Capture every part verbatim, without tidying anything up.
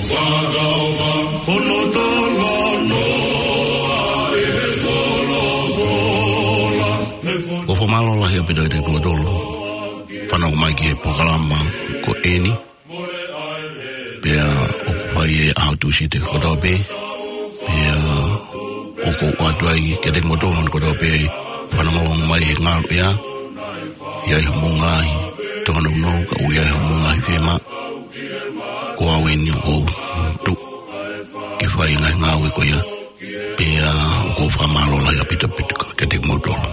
Ko e fakamālō lahi ʻaupito kiate kimoutolu fanongo mai ki he polokalama ko eni. Pea ʻoku fai he ʻaho Tūsite kotoa pē. Pea ʻoku ou ʻoatu ai kiate kimoutolu kotoa pē fanongo mai he ngalo ia. ʻI ai hoʻomou ngaahi tōnounou, ka ʻoku ʻi ai hoʻomou ngaahi fiemaʻu, ko au eni ʻoku ou tuʻu ke fai e ngaahi ngāue ko ia. Pea ʻoku ou fakamālō lahi ʻaupito ʻaupito kiate kimoutolu.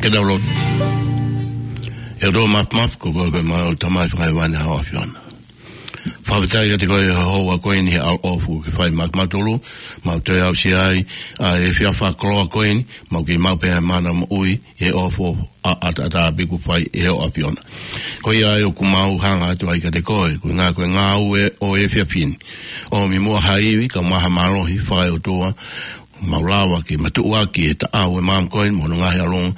Ke tau lotu. ʻE ʻOtua Māfimafi, ko koe ko ʻemau Tamai fakahēvani, ʻa ho ʻAfio na. Fakafetaʻi kiate koe he houa ko eni he ʻaloʻofa kuo ke fai maʻa kimautolu, mau toe aʻusia ai ʻa e efiafi fakakoloa ko eni, mau kei maʻu pē ʻa e mana moʻui ʻi he ʻofa ʻataʻatā pē kuo fai ʻe ho ʻAfio na. Ko ia ai ʻoku mau hanga atu ai kiate koe, ko e ngā-, ko e ngāue ʻo e efiafi ni. ʻOmi muʻa ha ivi, kae ʻumaʻā ha mālohi fakaʻotua, mau lava ke matuʻuaki e taʻau ʻo e maama ko eni mo hono ngaahi ʻalunga.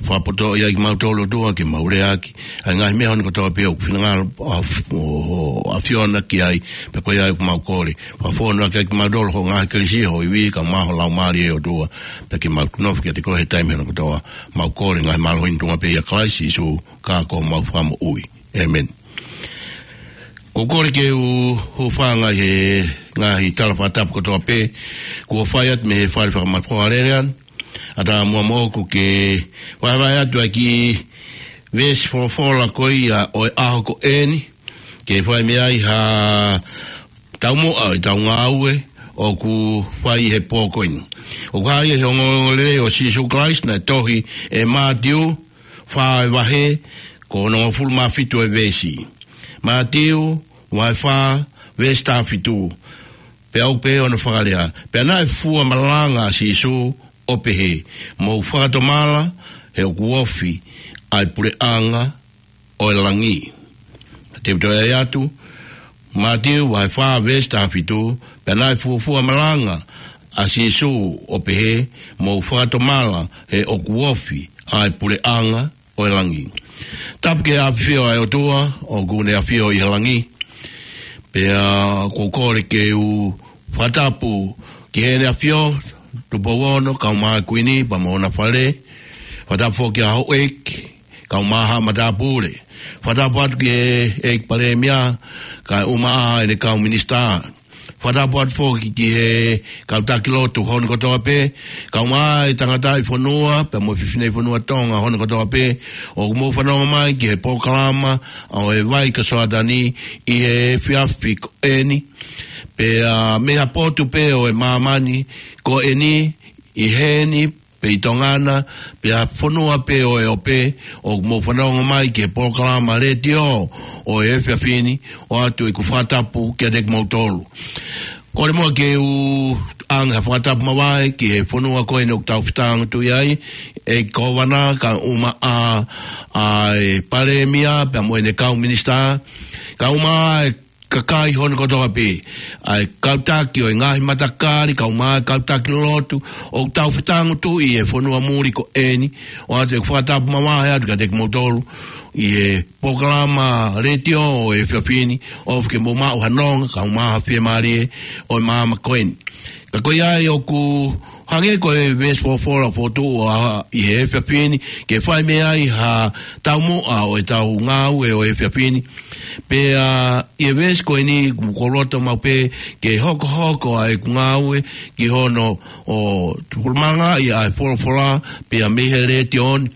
Fakapotoʻi ai kimautolu ʻOtua ke mau leaʻaki ʻa e ngaahi meʻa hono kotoa pē ʻoku finangalo ʻa, ʻo, ʻo ʻAfio na ki ai, pea ko ia ai ʻoku mau kole. Fakafonu ʻaki ai kimautolu ho ngaahi kelesi, ho ivi, kae ʻumaʻā ho Laumālie ʻOtua, pea ke mau nofo kiate koe he taimi hono kotoa. Mau kole ngaahi mālohi ni tuʻunga pē ʻia Kalaisi Sīsū, ko homau Fakamoʻui. ʻĒmeni. ʻOku ou kole ke u hūfanga he ngaahi tala fakatapu kotoa pē kuo fai atu mei he fale fakamafola lelea. ʻAtā muʻa moʻoku ke vahevahe atu ʻa e kiʻi veesi folofola ko ia ʻo e ʻaho ko eni, ke fai mei ai ha taumuʻa ʻo ʻetau ngāue ʻoku fai he pō ko eni. ʻOku hā ia he ongoongolelei ʻo Sīsū Kalaisi naʻe tohi ʻe Mātiu, fā ʻa e vahe, ko hono hongofulu mā fitu ʻa e veesi. Mātiu, vahe fā, veesi taha fitu. Pea ʻoku pehē hono fakalea: Pea naʻe fua malanga ʻa Sīsū ʻo pehē, Mou fakatomala, he ʻoku ofi ʻa e puleʻanga ʻo e langi. Te u toe ʻai atu, Mātiu vahe fā veesi taha fitu: Pea naʻe fuofua malanga ʻa Sīsū ʻo pehē, Mou fakatomala, he ʻoku ofi ʻa e puleʻanga ʻo e langi. Tapu ki he ʻafio ʻa e ʻOtua, ʻoku ne ʻafio ʻi he langi. Pea ʻoku ou kole ke u fakatapu ki heʻene ʻafio, Tupou Ono, kae ʻumaʻā e Kuini, pea mo hona fale. Fakatapu foki ki he houʻeiki, kae ʻumaʻā haʻa matāpule. Fakatapu atu ki he ʻEiki Palēmia, kae ʻumaʻā ʻene kau minisitā. Fakatapu atu foki ki he kau taki lotu hono kotoa pē, kae ʻumaʻā e tangataʻi fonua, pea mo e fefine fonua Tonga hono kotoa pē, ʻoku mou fanongo mai ki he polokalama ʻo e vai ko Soatani ʻi he efiafi ko eni. Pea mei ha potu pē ʻo e māmani ko eni, ʻi heni, pe ʻi Tonga na, pe ha fonua pē ʻo e ope, ʻoku mou fanongo mai ki he polokalama letiō ʻo e efiafi ni, ʻoatu ʻeku fakatapu kiate kimoutolu. Kole muʻa ke u ʻange ha fakatapu mavahe ki he fonua ko eni ʻoku tau fetāngutuʻi ai, ʻEiki Kōvana, kae ʻumaʻā ʻa e Palēmia, pea mo ʻene kau minisitā, kae ʻumaʻā e kakai hono kotoa pē, ʻa e kau taki ʻo e ngaahi matakali, kae ʻumaʻā e kau taki lotu, ʻoku tau fetāngutuʻi he fonua muli ko eni, ʻoatu ʻeku fakatapu mavahe atu kiate kimoutolu, ʻi he polokalama letiō ʻo e efiafi ni, ʻofa ke mou maʻu ha nonga, kae ʻumaʻā ha fiemālie ʻo e māmani ko eni. Ka ko ia ai ʻoku hangē ko e veesi folofola fotu ʻa ʻi he efiafi ni, ke fai mei ai ha taumuʻa ʻo ʻetau ngāue ʻo e efiafi ni. Pea ʻi he veesi ko eni ʻoku ou loto maʻu pē ke hokohoko ʻa ʻeku ngāue ki hono ʻo tupulumanga ʻi ʻa e folofola, pea mei he letiō ni,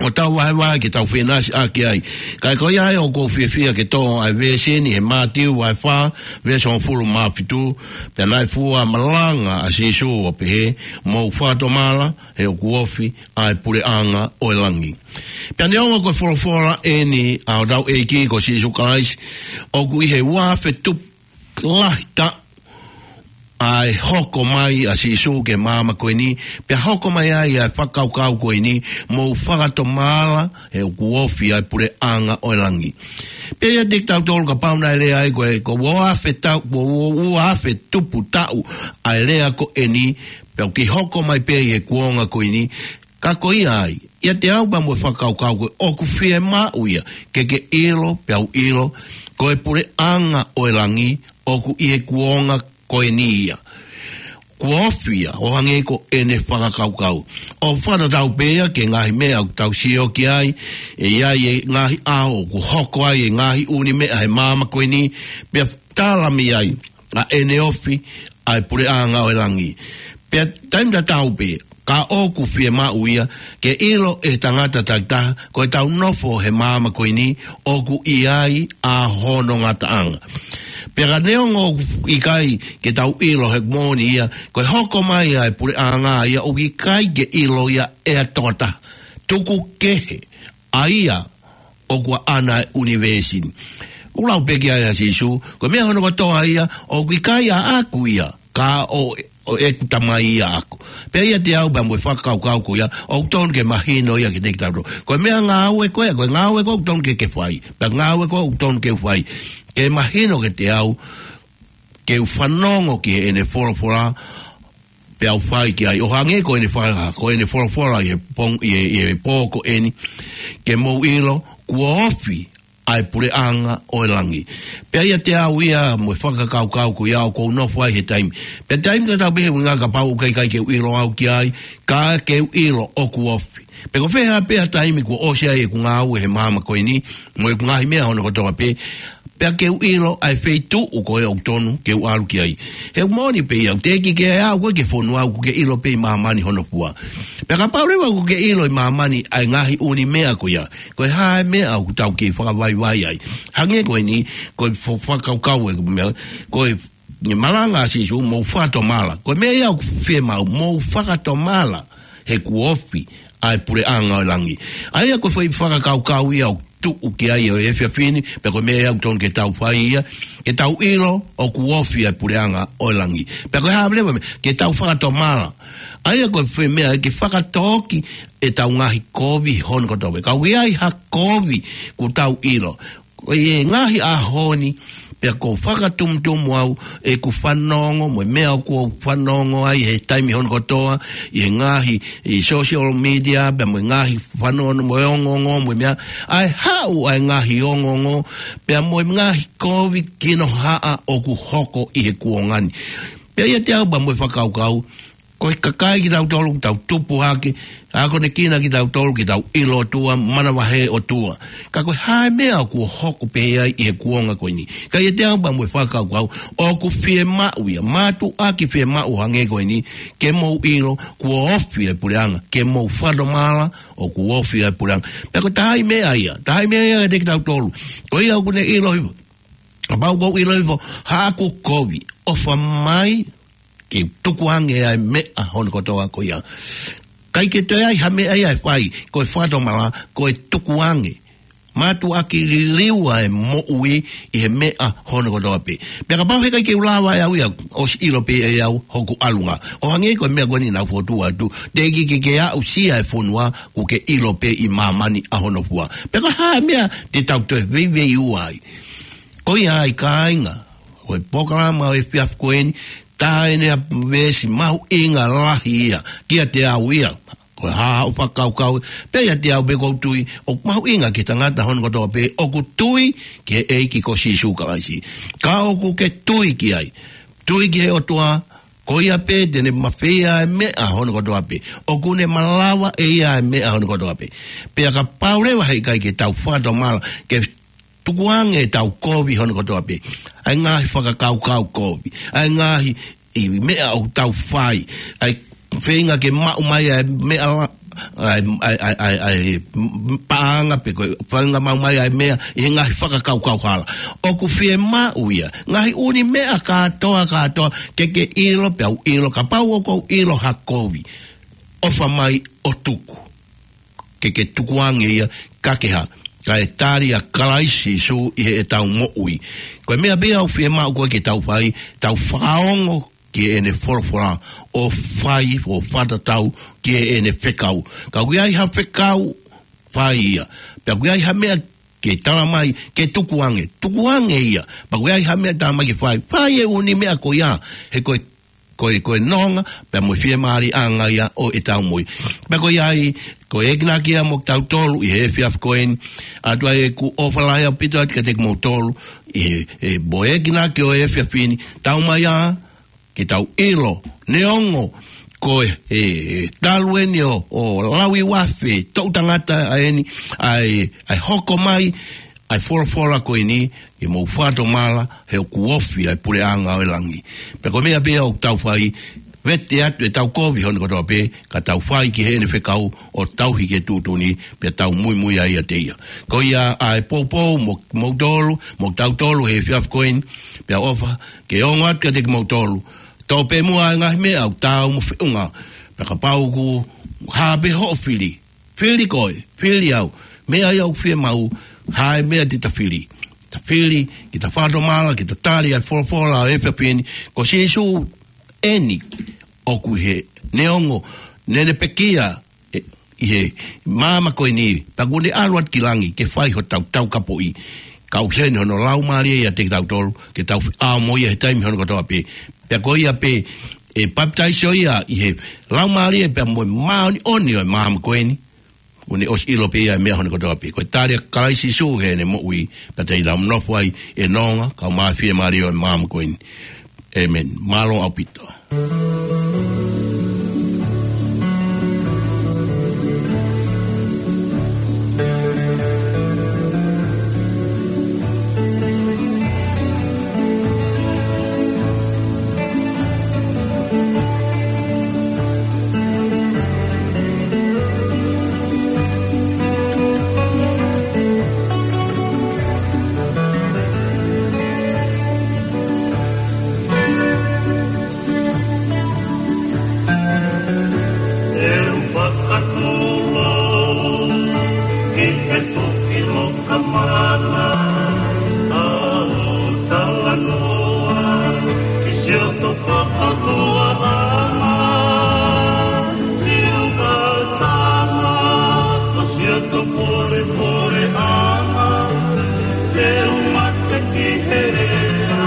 ʻo tau vahevahe ke tau fenasi ʻaki ai. Ka ko ia ai ʻoku ou fiefia ke tō ʻa e veesi ni he Mātiu vahe fā, veesi hongofulu mā fitu: Pea naʻe fua malanga ʻa Sīsū ʻo pehē, Mou fakatomala, he ʻoku ofi ʻa e puleʻanga ʻo e langi. Pea neongo ko e folofola eni ʻa hotau ʻEiki ko Sīsū Kalaisi, ʻoku ʻi he ua afe tupu lahi taʻu ʻa e hoko mai ʻa Sīsū ki he māmani ko eni, pea hoko mai ai ʻa e fakakaukau ko eni, Mou fakatomala, he ʻoku ofi ʻa e puleʻanga ʻo e langi. Pea ʻiate kitautolu kapau naʻe lea ai ko e, ko e ua afe taʻu, ko e ua afe tupu taʻu ʻa e lea ko eni, pea ʻoku kei hoko mai pē ʻi he kuonga ko eni, ka ko ia ai, ʻiate au pea mo e fakakaukau ko ē ʻoku fiemaʻu ia ke ke ʻilo, pea u ʻilo, ko e puleʻanga ʻo e langi ʻoku ʻi he kuonga ko eni ia. Kuo ofi ia, ʻo hangē ko ʻene fakakaukau. ʻO fakatatau pē ia ki he ngaahi meʻa ʻoku tau sio ki ai, ʻe ʻi ai e ngaahi ʻaho ʻoku hoko ai e ngaahi ʻū meʻa he māmani ko eni, pea tala mei ai ʻa ʻene ofi ʻa e puleʻanga ʻo e langi. Pea taimi tatau pē, ka ʻoku fiemaʻu ia ke ʻilo ʻe he tangata takitaha, ko ʻetau nofo he māmani ko eni ʻoku ʻi ai ʻa hono ngataʻanga. Pea ka neongo ʻoku ʻikai ke tau ʻilo he moʻoni ia, ko e hoko mai ʻa e puleʻanga ia ʻoku ʻikai ke ʻilo ia ʻe ha tokotaha. tuku kehe ʻa ia ʻoku ʻaʻana e ʻunivēsi ni. ʻOku lau pē ki ai ʻa Sīsū, ko e meʻa hono kotoa ia, ʻoku ʻikai ʻaʻaku ia, ka ʻo, ʻo ʻeku Tamai ia ʻaʻaku. Pea ʻiate au pea mo e fakakaukau ko ia, ʻoku tonu ke mahino ia kiate kitautolu. Ko e meʻangāue ko ē, ko e ngāue ko ē ʻoku tonu ke ke fai. Pea ngāue ko ē ʻoku tonu ke fai. Ke mahino kiate au, ke u fanongo ki heʻene folofola, pea u fai ki ai. ʻO hangē ko ʻene fa-, ko ʻene folofola ʻi he pong-, ʻi he, ʻi he pō ko eni, ke mou ʻilo, kuo ofi ʻa e puleʻanga ʻo e langi. Pea ʻiate au ia mo e fakakaukau ko ia ʻoku ou nofo ai he taimi. Pea taimi tatau pē he ʻuhinga kapau ʻoku ʻikai ke u ʻilo au ki ai, ka ke u ʻilo ʻoku ofi. Pea ko e fē ha pē ha taimi kuo ʻosi ai ʻeku ngāue he māmani ko eni, mo ʻeku ngaahi meʻa hono kotoa pē, pea ke u ʻilo ʻa e feituʻu ko ē ʻoku tonu ke u ʻalu ki ai. He ʻoku moʻoni pē ia, ʻoku teʻeki ke aʻu koe ki he fonua, ʻoku ke ʻilo pē ʻi māmani hono fua. Pea kapau leva ʻoku ke ʻilo ʻi māmani ʻa e ngaahi ʻunimeʻa ko ia, ko e hā e meʻa ʻoku tau kei fakavaivai ai? Hangē ko eni, ko e fo-, fakakaukau ʻeku meʻa, ko e, ʻi he malanga ʻa Sīsū, mou fakatomala. Ko e meʻa ia ʻoku fiemaʻu, mou fakatomala, he kuo ofi ʻa e puleʻanga ʻo e langi. ʻA ia ko e foʻi fakakaukau ia ʻoku tuʻu ki ai ʻo e efiafi ni, pea ko e meʻa ia ʻoku tonu ke tau fai ia, ke tau ʻilo ʻoku ofi ʻa e puleʻanga ʻo e langi. Pea ko e hā leva e meʻa, ke tau fakatomala. ʻA ia ko e foʻi meʻa ke fakatōki ʻetau ngaahi kovi hono kotoa pē. Ka ʻoku ʻi ai ha kovi ʻoku tau ʻilo. Ko e ngaahi ʻaho ni, pea ʻoku fakatumutumu au ʻeku fanongo, mo e meʻa ʻoku ou fanongo ai he taimi hono kotoa, ʻi he ngaahi, ʻi social media, pea mo e ngaahi fanongo, mo e ongoongo, mo e meʻa, ʻa e haʻu ʻa e ngaahi ongoongo, pea mo e ngaahi kovi kinohaʻa ʻoku hoko ʻi he kuonga ni. Pea ʻiate au pea mo e fakakaukau, ko e kakai kitautolu, tau tupu hake, akonekina kitautolu, ke tau ʻilo ʻOtua, manavahē ʻOtua. Ka ko e hā e meʻa ʻoku hoko pehē ai ʻi he kuonga ko eni? Ka ʻiate au pea mo e fakakaukau, ʻoku fiemaʻu ia, mātuʻaki fiemaʻu hangē ko eni, ke mou ʻilo, kuo ofi ʻa e puleʻanga, ke mou fakatomala, ʻoku ofi ʻa e puleʻanga. Pea ko e taha e meʻa ia, taha e meʻa ia kiate kitautolu. Ko ia ʻoku ne ʻilo hifo. Kapau ʻoku ou ʻilo hifo, haʻaku kovi, ʻofa mai, ke tukuange ʻa e meʻa hono kotoa ko ia. ʻIkai ke toe ʻi ai ha meʻa ia ʻe fai, ko e fakatomala, ko e tukuange. Mātuʻaki liliu ʻa e moʻui ʻi he meʻa hono kotoa pē. Pea kapau heʻikai ke u lava ʻe au ia, ʻosi ʻilo pē ʻe au hoku ʻalunga. ʻO hangē ko e meʻa ko eni naʻa ku fokotuʻu atu, teʻeki ke ke aʻusia e fonua, ʻoku ke ʻilo pē ʻi māmani ʻa hono fua. Pea ko e hā e meʻa te tau toe veiveiua ai? Ko ia ai kāinga, ko e polokalama ʻo e efiafi ko eni, tā ʻene ʻa veesi mahuʻinga lahi ia, kiate au ia. Ko e hā haʻo fakakaukau, pea ʻiate au pē ʻoku ou tui, ʻoku mahuʻinga ki he tangata hono kotoa pē, ʻoku tui ki he ʻEiki ko Sīsū Kalaisi. Ka ʻoku ke tui ki ai, tui ki he ʻOtua, ko ia pē te ne mafeia e meʻa hono kotoa pē. ʻOku ne malava ʻe ia e meʻa hono kotoa pē. Pea kapau leva heʻikai ke tau fakatomala, ke tukuange ʻetau kovi hono kotoa pē. ʻA e ngaahi fakakaukau kovi. ʻA e ngaahi ʻi meʻa ʻoku tau fai. ʻA e feinga ke maʻu mai ʻa e meʻa la-, ʻa e, ʻa e, ʻa e, ʻa e, ʻa e paʻanga pe ko e feinga maʻu mai ʻa e meʻa ʻi he ngaahi fakakaukau hala. ʻOku fiemaʻu ia. Ngaahi ʻunimeʻa kātoa, kātoa, ke ke ʻilo, pea u ʻilo, kapau ʻoku ou ʻilo ha kovi, ʻofa mai ʻo tuku. Ke ke tukuange ia, ka ke hā, kae tali ʻa Kalaisi Sīsū ʻi heʻetau moʻui. Ko e meʻa pē ia ʻoku fiemaʻu ko ē ke tau fai, tau fakaongo ki heʻene folofola, ʻo fai, ʻo fakatatau ki heʻene fekau. Ka ʻoku ʻi ai ha fekau, fai ia. Pea ʻoku ʻi ai ha meʻa ke tala mai, ke tukuange, tukuange ia. Pea ʻoku ʻi ai ha meʻa tala mai ke fai, fai e ʻunimeʻa ko ia, he ko e ko e, ko e nonga, pea mo e fiemālieʻanga ia ʻo ʻetau moʻui. Pea ko ia ai, ko e ekinaki ia mo kitautolu ʻi he efiafi ko eni, ʻoatu ai ʻeku ʻofa lahi ʻaupito atu kiate kimoutolu, ʻi he, he mo e ekinaki ʻo e efiafi ni, tau mai ā, ke tau ʻilo, neongo, ko e, e, talu eni ʻo, ʻo lauiuafe, toʻu tangata ʻa eni, ʻa e, ʻa e hoko mai, ʻa e folofola ko eni, ke mou fakatomala, he ʻoku ofi ʻa e puleʻanga ʻo e langi. Pea ko e meʻa pē ia ʻoku tau fai, vete atu ʻetau kovi hono kotoa pē, ka tau fai ki heʻene fekau ʻo tauhi ki he tuʻutuʻuni, pea tau muimui ai ʻiate ia. Ko ia ʻa e poupou mo, moutolu, mo kitautolu he efiafi ko eni, pea ʻofa, ke ongo atu kiate kimoutolu. Tō pē muʻa ʻa e ngaahi meʻa ʻoku taau mo e feʻunga, pea kapau ʻoku hā pē hoʻo fili, Fili koe, fili au. Meʻa ia ʻoku fiemaʻu, ha meʻa te ta fili. Ta fili, ke ta fakatomala, ke ta tali ʻa e folofola ʻo e efiafi ni, ko Sīsū eni ʻoku ʻi heni, neongo naʻá ne pekia ʻi he māmani ko eni, pea kuo ne ʻalu atu ki langi ke fai hotau taukapoʻi. Kau heni hono Laumālie ʻiate kitautolu, ke tau ʻaʻahi mo ia he taimi hono kotoa pē. Pea ko ia pē ʻe papitaiso ia ʻi he Laumālie pea mo e māʻoniʻoni ʻo e māmani ko eni. Kuo ne ʻosi ʻilo pē ia e meʻa hono kotoa pē. Ko e tali ʻa Kalaisi Sīsū heʻene moʻui, pea te ne nofo ai ʻi he nonga, kae ʻumaʻā e fiemālie ʻo e māmani ko eni. ʻĒmeni. Mālō ʻaupito. ʻE fakatū ki he tuʻi loka mana, ʻa hoʻo talanoa ki siʻoto fakaʻofoʻofa, siʻo tama, ko siʻoto fakaʻofoʻofa, te u mate ki he lea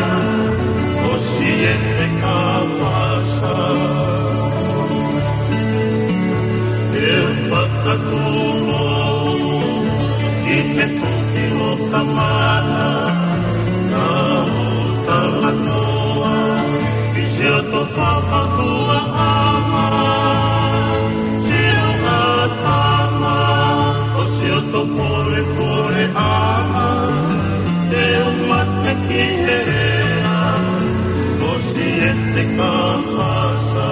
ʻo Siete Kapasa. ʻE fakatū ki he tuʻi loka mana, ʻa hoʻo talanoa ki siʻoto fakaʻofoʻofa, siʻo tama, ko siʻoto fakaʻofoʻofa, te u mate ki he lea ʻo Siete Kapasa.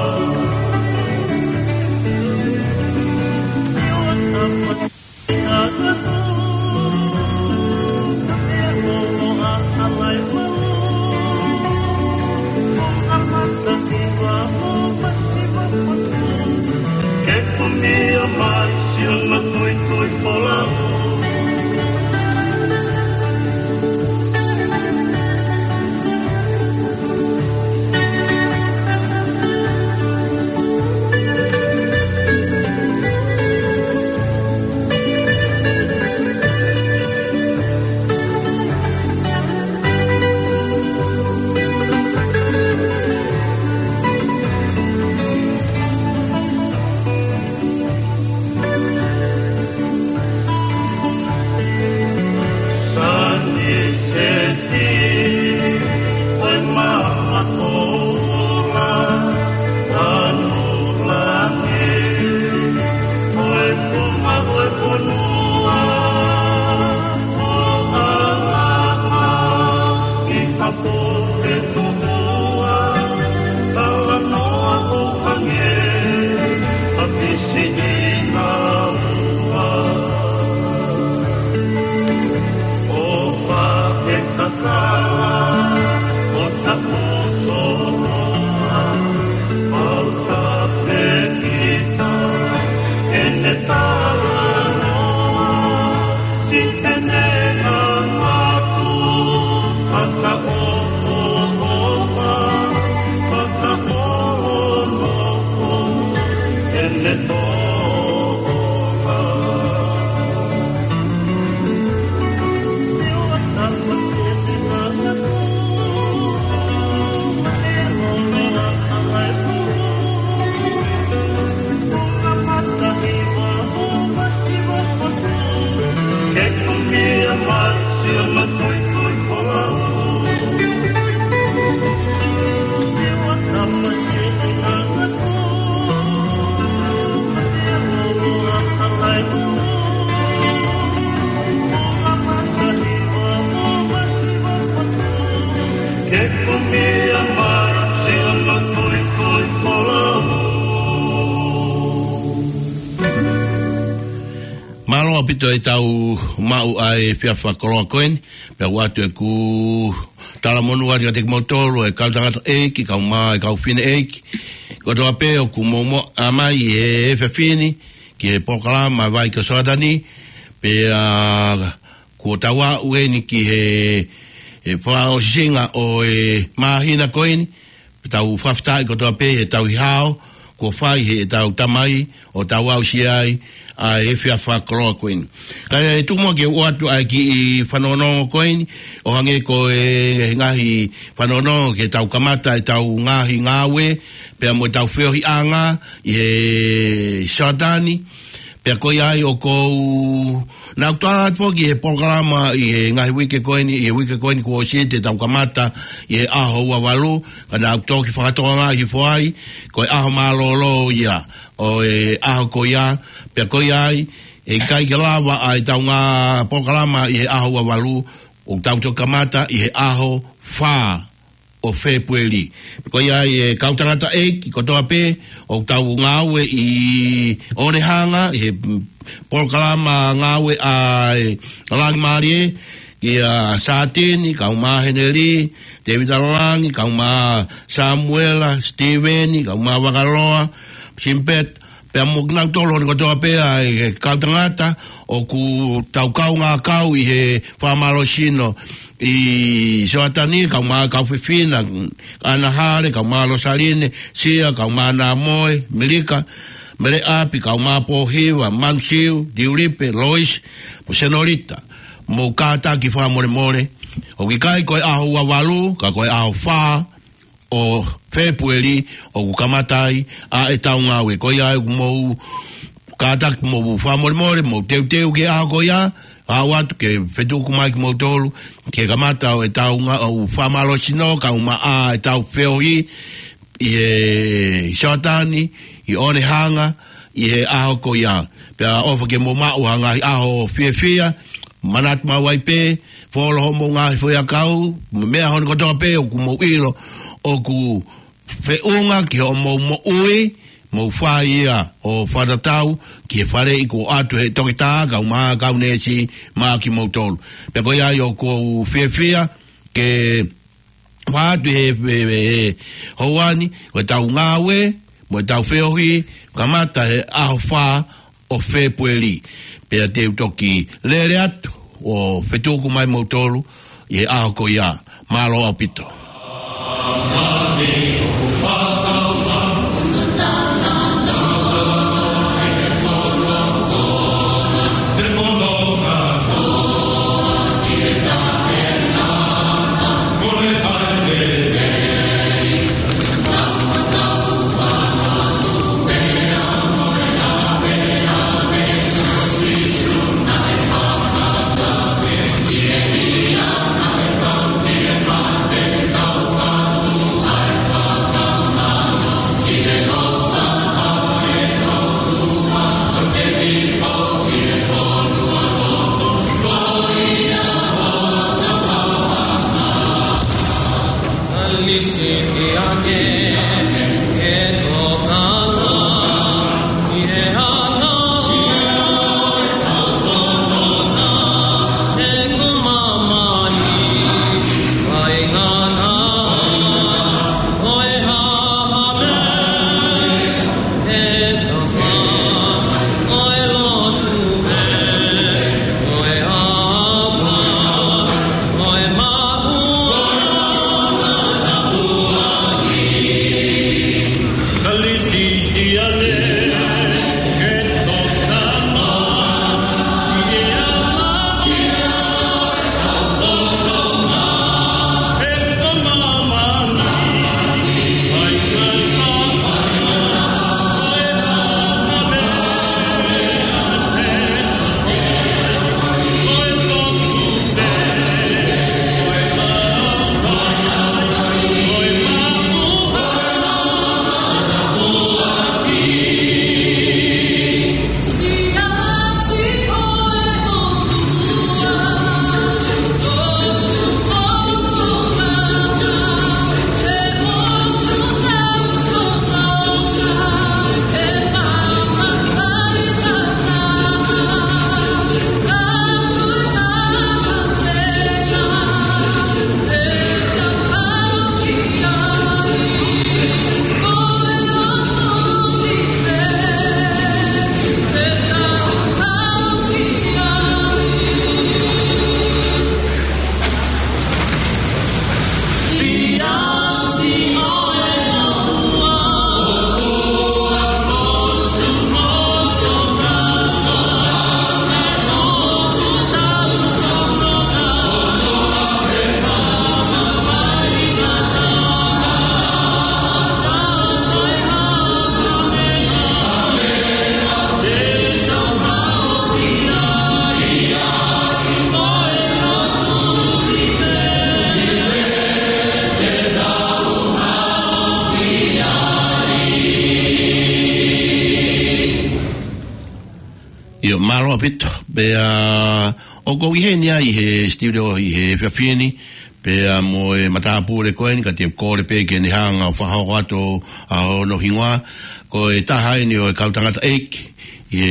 Ke kumia mai siʻono tuitui folau. Mālō ʻaupito ʻetau maʻu ʻa e efiafi fakakoloa ko eni, pea ʻoku ʻoatu ʻeku talamonū atu kiate kimoutolu, e kau tangataʻeiki, kau mā, e kau fineʻeiki kotoa pē ʻoku mou maʻu mai he efiafi ni, ki he polokalama Vai ko Soatani, pea kuo tau aʻu eni ki he, he fakaʻosiʻanga ʻo e māhina ko eni, pea tau fakafetaʻi kotoa pē he tauhi hao kuo fai heʻetau tamai ʻo tau aʻusia ai ʻa e efiafi fakakoloa ko eni. Kae tuku muʻa ke u ʻoatu ʻa e kiʻi fanongonongo ko eni, ʻo hangē ko e ngaahi fanongonongo ke tau kamata ʻetau ngaahi ngāue, pea mo ʻetau feohiʻanga ʻi he Soatani, pea ko ia ai ʻoku ou, naʻa ku tala atu foki he polokalama ʻi he ngaahi uike ko eni, ʻi he uike ko eni kuo ʻosi ʻetau kamata ʻi he ʻaho ua valu, ka naʻa ku toki fakatokangaʻi hifo ai, ko e ʻaho mālōlō ia ʻo e ʻaho ko ia, pea ko ia ai, ʻe ʻikai ke lava ʻa ʻetau ngaahi polokalama ʻi he ʻaho ua valu, ʻoku tau toki kamata ʻi he ʻaho fā ʻo Fēpueli. Ko ia ai e kau tangataʻeiki kotoa pē ʻoku tau ngāue ʻi Onehanga, ʻi he polokalama ngāue ʻa e Langi Mālie, kia Sātini, kae ʻumaʻā Heneli, Tēvita Langi, kae ʻumaʻā Samuela, Sitīveni, kae ʻumaʻā Vakaloa, Simpet, pea mo kinautolu hono kotoa pē ʻa e kau tangata ʻoku tau kaungā kau ʻi he fakamālohisino ʻi Soatani, kae ʻumaʻā kau fefine, ʻAna Hale, kae ʻumaʻā Losaline, Sia, kae ʻumaʻā Namoe, Melika, Mele ʻApi, kae ʻumaʻā Pōhiva, Manusiu, Diulipe, Lois, mo Senolita, mou kātaki fakamolemole. ʻOku ʻikai ko e ʻaho ua valu, ka ko e ʻaho fā ʻo Fēpueli ʻoku kamata ai ʻa ʻetau ngāue. Ko ia ʻoku mou kātaki mou fakamolemole, mou teuteu ki he ʻaho ko ia, ʻoatu ke fetuku mai kimoutolu, ke kamata ʻo ʻetau ngā-, ʻo fakamālohisino, kae ʻumaʻā ʻetau feohi, ʻi he Soatani, ʻi Onehanga, ʻi he ʻaho ko ia. Pea ʻofa ke mou maʻu ha ngaahi ʻaho fiefia, manatu maʻu ai pē, folo hoʻomou ngaahi foʻiʻakau, meʻa hono kotoa pē ʻoku mou ʻilo, ʻoku feʻunga ki hoʻomou moʻui, mou fai ia ʻo fakatatau ki he faleʻi kuo ʻoatu he toketā, kae ʻumaʻā kau neesi maʻa kimoutolu. Pea ko ia ai ʻoku ou fiefia ke fakahā atu he, he, he, he houa ni, ko ʻetau ngāue, mo ʻetau feohi, kamata he ʻaho fā ʻo Fēpueli. Pea te u toki lele atu ʻo fetuku mai moutolu ʻi he ʻaho ko ia. Mālō ʻaupito. ʻIo, mālō ʻaupito. Pea ʻoku ou ʻi heni ai he studio ʻi he efiafi ni, pea mo e matāpule ko eni, ka te u kole pē ke ne hanga ʻo fakahoko atu ʻa hono hingoa, ko e taha eni ʻo e kau tangataʻeiki ʻi he,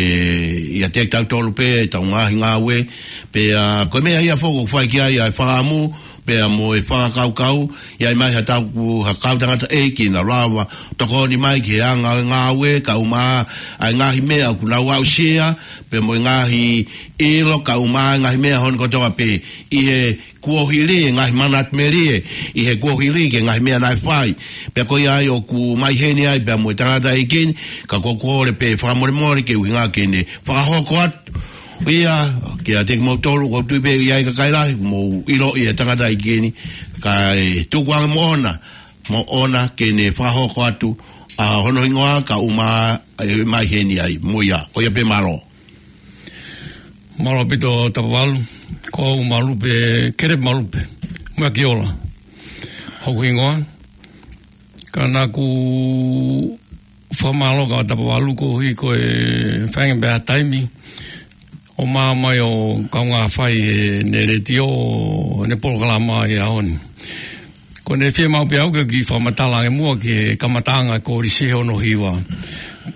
ʻiate kitautolu pē, ʻetau ngaahi ngāue. Pea ko e meʻa ia foki ʻoku fai ki ai ʻa e fakaʻamu, pea mo e fakakaukau, ʻi ai mai ha tau ku-, ha kau tangataʻeiki naʻa nau lava ʻo tokoni mai ki he anga ʻo e ngāue, kae ʻumaʻā ʻa e ngaahi meʻa ʻoku nau aʻusia, pea mo e ngaahi ʻilo, kae ʻumaʻā ʻa e ngaahi meʻa hono kotoa pē ʻi he kuohili, ʻa e ngaahi manatu melie ʻi he kuohili ki he ngaahi meʻa naʻe fai. Pea ko ia ai ʻoku ou ʻi heni ai pea mo e tangataʻeiki ni, ka ʻoku ou kole pē fakamolemole ke ʻuhinga ke ne fakahoko atu ia kiate kimoutolu, ʻoku ou tui pē ʻe ʻi ai e kakai lahi ʻoku mou ʻiloʻi e tangataʻeiki ni, kae tuku ange moʻona, moʻona ke ne fakahoko atu ʻa hono hingoa kae ʻumaʻā ʻa e meʻa ʻi heni ai, mo ia, ko ia pē, mālō. Mālō ʻaupito Tapavalu, ko au Malupe, Kelepi Malupe, Mueakiola hoku hingoa. Ka naʻá ku fakamālō kia Tapavalu koeʻuhi ko e feinga pē ʻa e taimi ʻo ʻomai ʻo kaungā fai ʻene letiō, ʻene polokalama ʻi he ʻaho ni. Ko ʻene fiemaʻu pē au ke u kiʻi fakamatala ange muʻa ki he kamataʻanga e kolisi he ono hiva.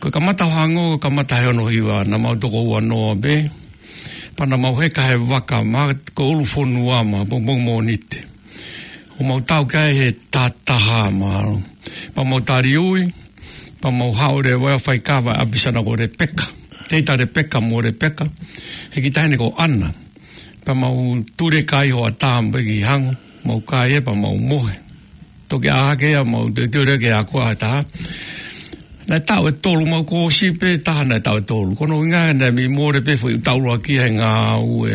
Ko e kamata ʻo Hango, kamata he ono hiva, naʻa mau toko ua noa pē. Pea naʻa mau heka he vaka, ma ko ʻUlufonua ma, pongipongi Mōnite. ʻO mau tau ki ai he taha taha, mālō. Pea mau tali ui, pea mau haʻu leva ʻo fai kava ʻa e ʻapi sana ko Lepeka. Teita Lepeka mo Lepeka. He kiʻi taʻahine ko ʻAna. Pea mau tuli e kai hoʻatā pē ki Hango, mau kai ia pea mau mohe. Toki ʻā hake ia, mau teuteu leva ke ako ʻa e taha. Naʻe taʻu ʻe tolu, mau kōsi pē taha naʻe taʻu ʻe tolu. Ko hono ʻuhinga naʻe mei mole pē foʻi taʻu ʻuluaki he ngāue,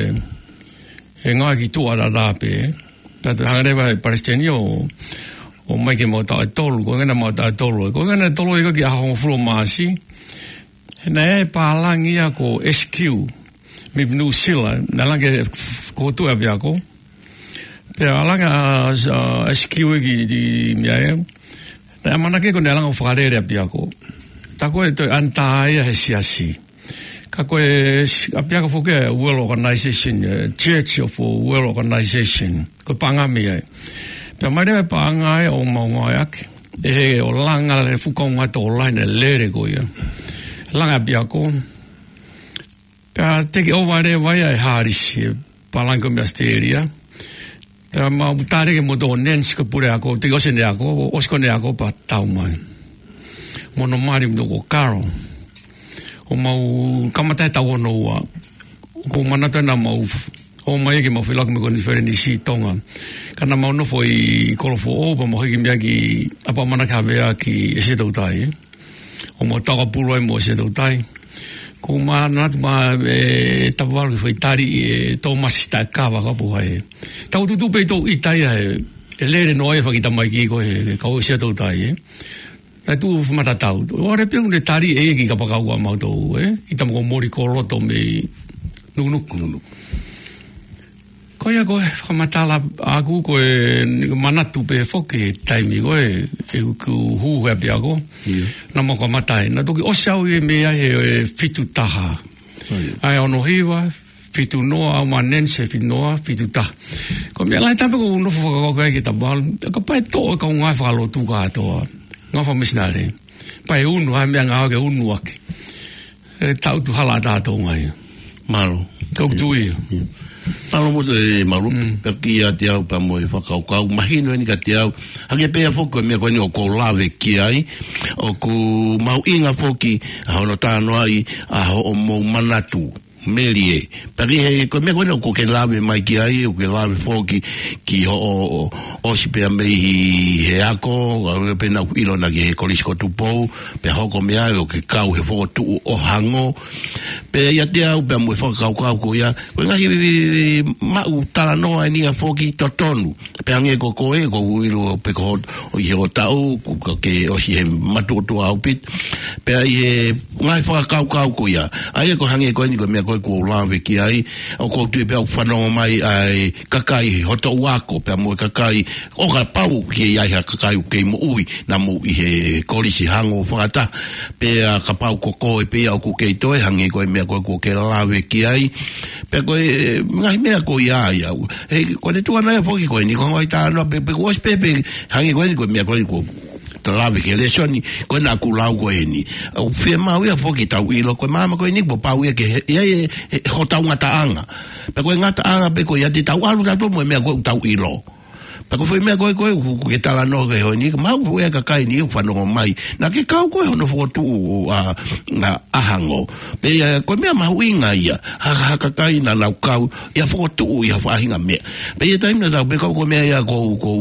he ngāue ki tuʻa lalahi pē. Pea toe hanga leva ʻe he palesiteni ʻo, ʻomai ke mau taʻu ʻe tolu, ko e ʻuhinga naʻa mau taʻu ʻe tolu. Ko e ʻuhinga naʻe tolu ia ki he ʻaho hongofulu ʻo Māʻasi. He naʻe ʻi ai e pālangi ia ko S Q mei Nuʻu Sila, naʻe langa ki he kotoa ʻapiako. Pea langa ʻa, ʻa S Q ia ki, ki meʻa ia. Naʻe ʻamanaki ko ʻene langa ʻo fakalele ʻapiako. Tā ko e toe ʻanitā ia he siasi. Ka ko e s-, ʻapiako foki ʻa e World Organization, eh, Church of World Organization. Ko e paʻanga mei ai. Pea mai leva e paʻanga ia ʻo mau ngāueʻaki. ʻE he ʻo langa e fuʻu kaungā tokolahi naʻe lele ko ia. Langa ʻapiako. Pea take over leva ia ʻe Hārisi, e pālangi ko ē mei ʻAositelēlia. Pea mau tali ke mo tō Nancy ko e puleako, teʻeki ʻosi ʻene ako, ʻosi ko ʻene ako pea tau mai. Mo hono mali mo ko Karo. ʻO mau kamata he taʻu ono ua. ʻOku ou manatu naʻa mau ō mai ke mau feʻiloaki mo e konifelenisi Tonga. Ka naʻa mau nofo ʻi Kolofoʻou, pea mau hiki mei ai ki ʻApaʻamanaki Havea ki ʻAsia Toutai, ē. ʻO mau taukapoʻuli ai mo ʻAsia Toutai. ʻOku ou manatu mai ʻe Tapavalu ki he foʻi tali ʻe Tōmasi Taʻekava ka ʻoku ʻikai. Tau tutu pē ʻi toʻu ʻita ia he, ʻe lele noa ia faki tamaiki ko e he, he kau ʻAsia Toutai, ē. Naʻe tuʻu fakamatala tau. ʻOku ʻi ai pē ʻene tali ʻe ia ki he kapakau ʻa mautolu, ē. ʻIta mo ko Molikoloto mei Nukunuku. Nukunuku. Ko ia ko e fakamatala ʻaʻaku ko e manatu pē foki he taimi ko ē, ʻeku hū he ʻapiako. ʻIo. Naʻa mau kamata ai. Naʻe toki ʻosi au ia mei ai he, he fitu taha. ʻIo. ʻA e ono hiva, fitu noa, au mo Nancy fitu noa, fitu taha. Ko e meʻa lahi taha pē ʻoku ou nofo fakakaukau ai kia Tapavalu. Kapau ʻe toʻo e kau ngāue fakalotu kātoa. Ngāue fakamisinale. Pea ʻe unu, ʻa e meʻangāue ke unu ʻaki. ʻE tau tu hala ʻa Tonga ia. Mālō. Tau tu ia. ʻIo. Mālō mo te, mālō. Mm. Pea kiate au pea mo e fakakaukau. Mahino eni kiate au. Hangē pē foki ko e meʻa ko eni ʻoku ou lave ki ai. ʻOku mahuʻinga foki ʻa hono talanoaʻi ʻa hoʻomou manatu melie. Pea ki he, ko e meʻa ko eni ʻoku ke lave mai ki ai, ʻoku ke lave foki ki hoʻo, ʻo, ʻosi pea mei he ako, ʻa ia pē naʻá ku ʻilo naʻá ke ʻi he Kolisi ko Tupou, pea hoko mei ai ʻo ke kau he fokotuʻu ʻo Hango. Pea ʻiate au, pea mo e fakakaukau ko ia, ko e ngaahi maʻu talanoa eni ia foki totonu. Pea hangē ko koe, ʻoku ou ʻilo pē ko hoʻo, ʻi hoʻo taʻu, ʻoku ke ʻosi he matuʻotuʻa ʻaupito. Pea ʻi he ngaahi fakakaukau ko ia. ʻA ia ko e hangē ko eni ko e meʻa ko ē kuo u lave ki ai, ʻoku ou tui pē ʻoku fanongo mai ʻa e kakai hoʻo ako, pea mo e kakai, ʻo kapau ʻoku ʻi ai ha kakai ʻoku kei moʻui, naʻa mou ʻi he kolisi hango fakataha, pea kapau ko koe pē ia ʻoku kei toe, hangē ko e meʻa ko ē kuo ke lave ki ai, pea ko e ngaahi meʻa ko ia ia. He, ko e tuʻunga ia foki ko eni, ko e ngaahi talanoa pē, pea kuo ʻosi pē, pea hangē ko eni ko e meʻa ko eni kuo ta lave ki he lēsoni, ko ena ʻoku lau ko eni. ʻOku fiemaʻu ia foki ke tau ʻilo, ko e maama ko eni kuo pau ia ke he, ia e, he, hotau ngataʻanga. Pea ko e ngataʻanga pē ko ia te tau ʻalu tautolu mo e meʻa ko ē ʻoku tau ʻilo. Pea ko e foʻi meʻa ko ē, ko ē, ʻoku, ʻoku ke talanoa ki ai he ʻaho ni, ka ʻoku ʻi ai e kakai ʻe niʻihi ʻoku fanongo mai. Naʻa ke kau koe hono fokotuʻu ʻa, ʻa, ʻa Hango. Pea ia, ko e meʻa mahuʻinga ia, ha, ha kakai naʻa nau kau, ʻi he fokotuʻu ʻi ha faʻahinga meʻa. Pea ʻi he taimi naʻa tau pē kau ko e meʻa ia ʻoku ou, ʻoku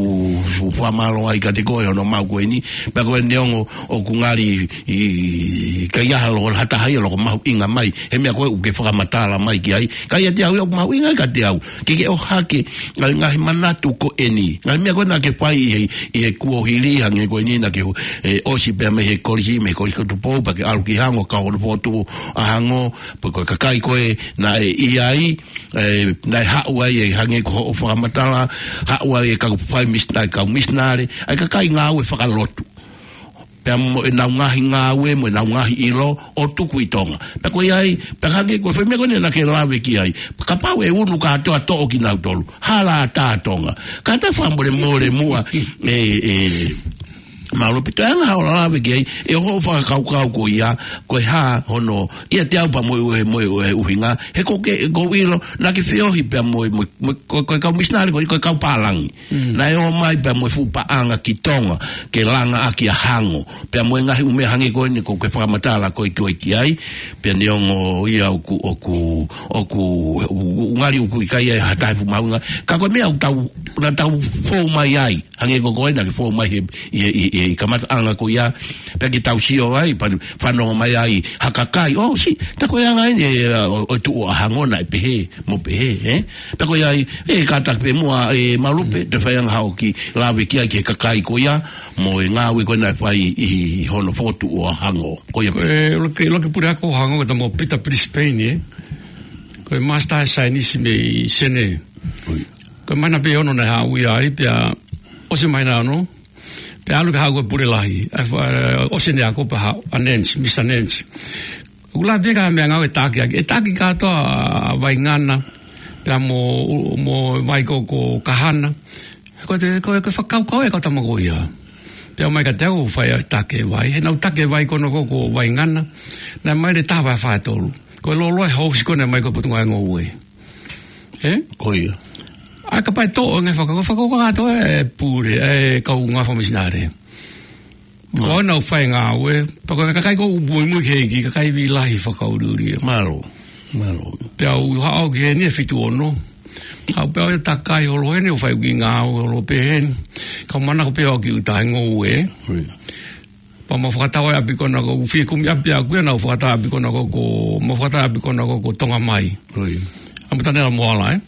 ou fakamālō ai kiate koe hono maʻu ko eni, pea ko e neongo ʻoku ngali ʻikai ha loko, ha taha ia ʻoku mahuʻinga mai, he meʻa ko ē ʻoku ke fakamatala mai ki ai, ka ʻiate au ia ʻoku mahuʻinga ai kiate au, ke ke ʻohake, ngaahi, ngaahi manatu ko eni, ngaahi meʻa ko ē naʻa ke fai ʻi he, ʻi he kuohili hangē ko eni naʻa ke hu-, ʻe, ʻosi pea mei he kolisi, mei he kolisi ko Tupou, pea ke ʻalu ki Hango, kau hono fokotuʻu ʻa Hango, pea ko e kakai ko ē naʻe ʻi ai, ʻe, naʻe haʻu ai ʻe hangē ko hoʻo fakamatala, haʻu ai e kau fai mis-, ʻa e kau misinale, ʻa e kakai ngāue fakalotu. Pea mo ʻenau ngaahi ngāue, mo ʻenau ngaahi ʻilo, ʻo tuku ʻi Tonga. Pea ko ia ai, pea hangē ko e foʻi meʻa ko eni naʻa ke lave ki ai. Kapau ʻe unu kātoa toʻo kinautolu. Hala ʻatā Tonga. Kātaki fakamolemole muʻa, ʻe, ʻe, Malupe, toe anga haʻo lave ki ai, ʻi hoʻo fakakaukau ko ia, ko e hā hono, ʻiate au pea mo e, mo e, mo e ʻuhinga, he ʻoku ke, ʻoku ou ʻilo, naʻa ke feohi pea mo e, mo e, mo e, ko, ko e kau misinale ko ē, ko e kau pālangi. Mm. Naʻe ō mai pea mo e fuʻu paʻanga ki Tonga, ke langa ʻaki ʻa Hango, pea mo e ngaahi ʻū meʻa hangē ko eni ʻoku ke fakamatala ko ē ki ai, pea neongo ia ʻoku, ʻoku, ʻoku, ʻoku ngali ʻoku ʻikai ʻi ai ha taha e fuʻu mahuʻinga, ka ko e meʻa ʻoku tau, naʻa tau fou mai ai, hangē ko koe naʻa ke fou mai he, ʻi, ʻi, ʻi, ʻi he kamataʻanga ko ia, pea ke tau sio ai, pea fanongo mai ai ha kakai, ʻo, sī, tā ko e anga eni, ʻe, ʻo, ʻo tuʻu ʻa Hango naʻe pehē, mo pehē, ē? Pea ko ia ai, ʻe, kātaki pē muʻa, ʻe, Malupe, toe fai ange haʻo kiʻi lave ki ai ki he kakai ko ia, mo e ngāue ko ē naʻe fai ʻi hono fokotuʻu ʻa Hango. Ko ia pē. Ko e, ʻuluaki, ʻuluaki puleako Hango ko e tama ko Peter Brisbane, ē? Ko e Master Science mei Senē. ʻOi. Ko e māhina pē ʻe ono naʻe haʻu ia ai, pea ʻosi e māhina ʻe ono, pea ʻalu ke haʻu ko e pule lahi. ʻA e fa-, ʻosi ʻene ako pea haʻu ʻa Nance, Mister Nance. ʻOku lave ki he meʻangāue ʻe taʻaki ʻaki. ʻE taʻaki kātoa ʻa Vaingana, pea mo, mo e vai ko, ko Kahana. Ko e te, ko e, ko e fakakaukau ʻa e kau tama ko ia. Pea ʻomai kiate au ʻo fai ʻa e taki e vai. He naʻa ku taki e vai ko ena ko, ko Vaingana. Naʻe ʻomai leva e taha vahe fā tolu. Ko e lōloa e housi ko ena ʻomai ko e Potungāue Ngoue. Ē? Ko ia. ʻA e kapau ʻe toʻo e ngaahi fakakaukau, fakakaukau kātoa e pule, e kau ngāue fakamisinale. Ko ʻenau fai ngāue, pea ko e kakai ʻoku muimui ki he ʻEiki, kakai vīlahi fakaʻuliʻuli. Mālō, mālō. Pea u haʻu ki heni ʻi he fitu ono. Haʻu pea u takai holo heni ʻo fai ʻeku kiʻi ngāue holo pē heni. Ka u manako pē au ki ʻuta he ngoue. ʻOi. Pea mau fakatau ʻa e ʻapi ko ena ko, u fie kumi ʻapi ʻaʻaku ia naʻa ku fakatau ʻapi ko ena ko, ko, mau fakatau ʻapi ko ena ko, ko Tonga Mai. ʻOi. ʻAmu Tanela Moala, ē?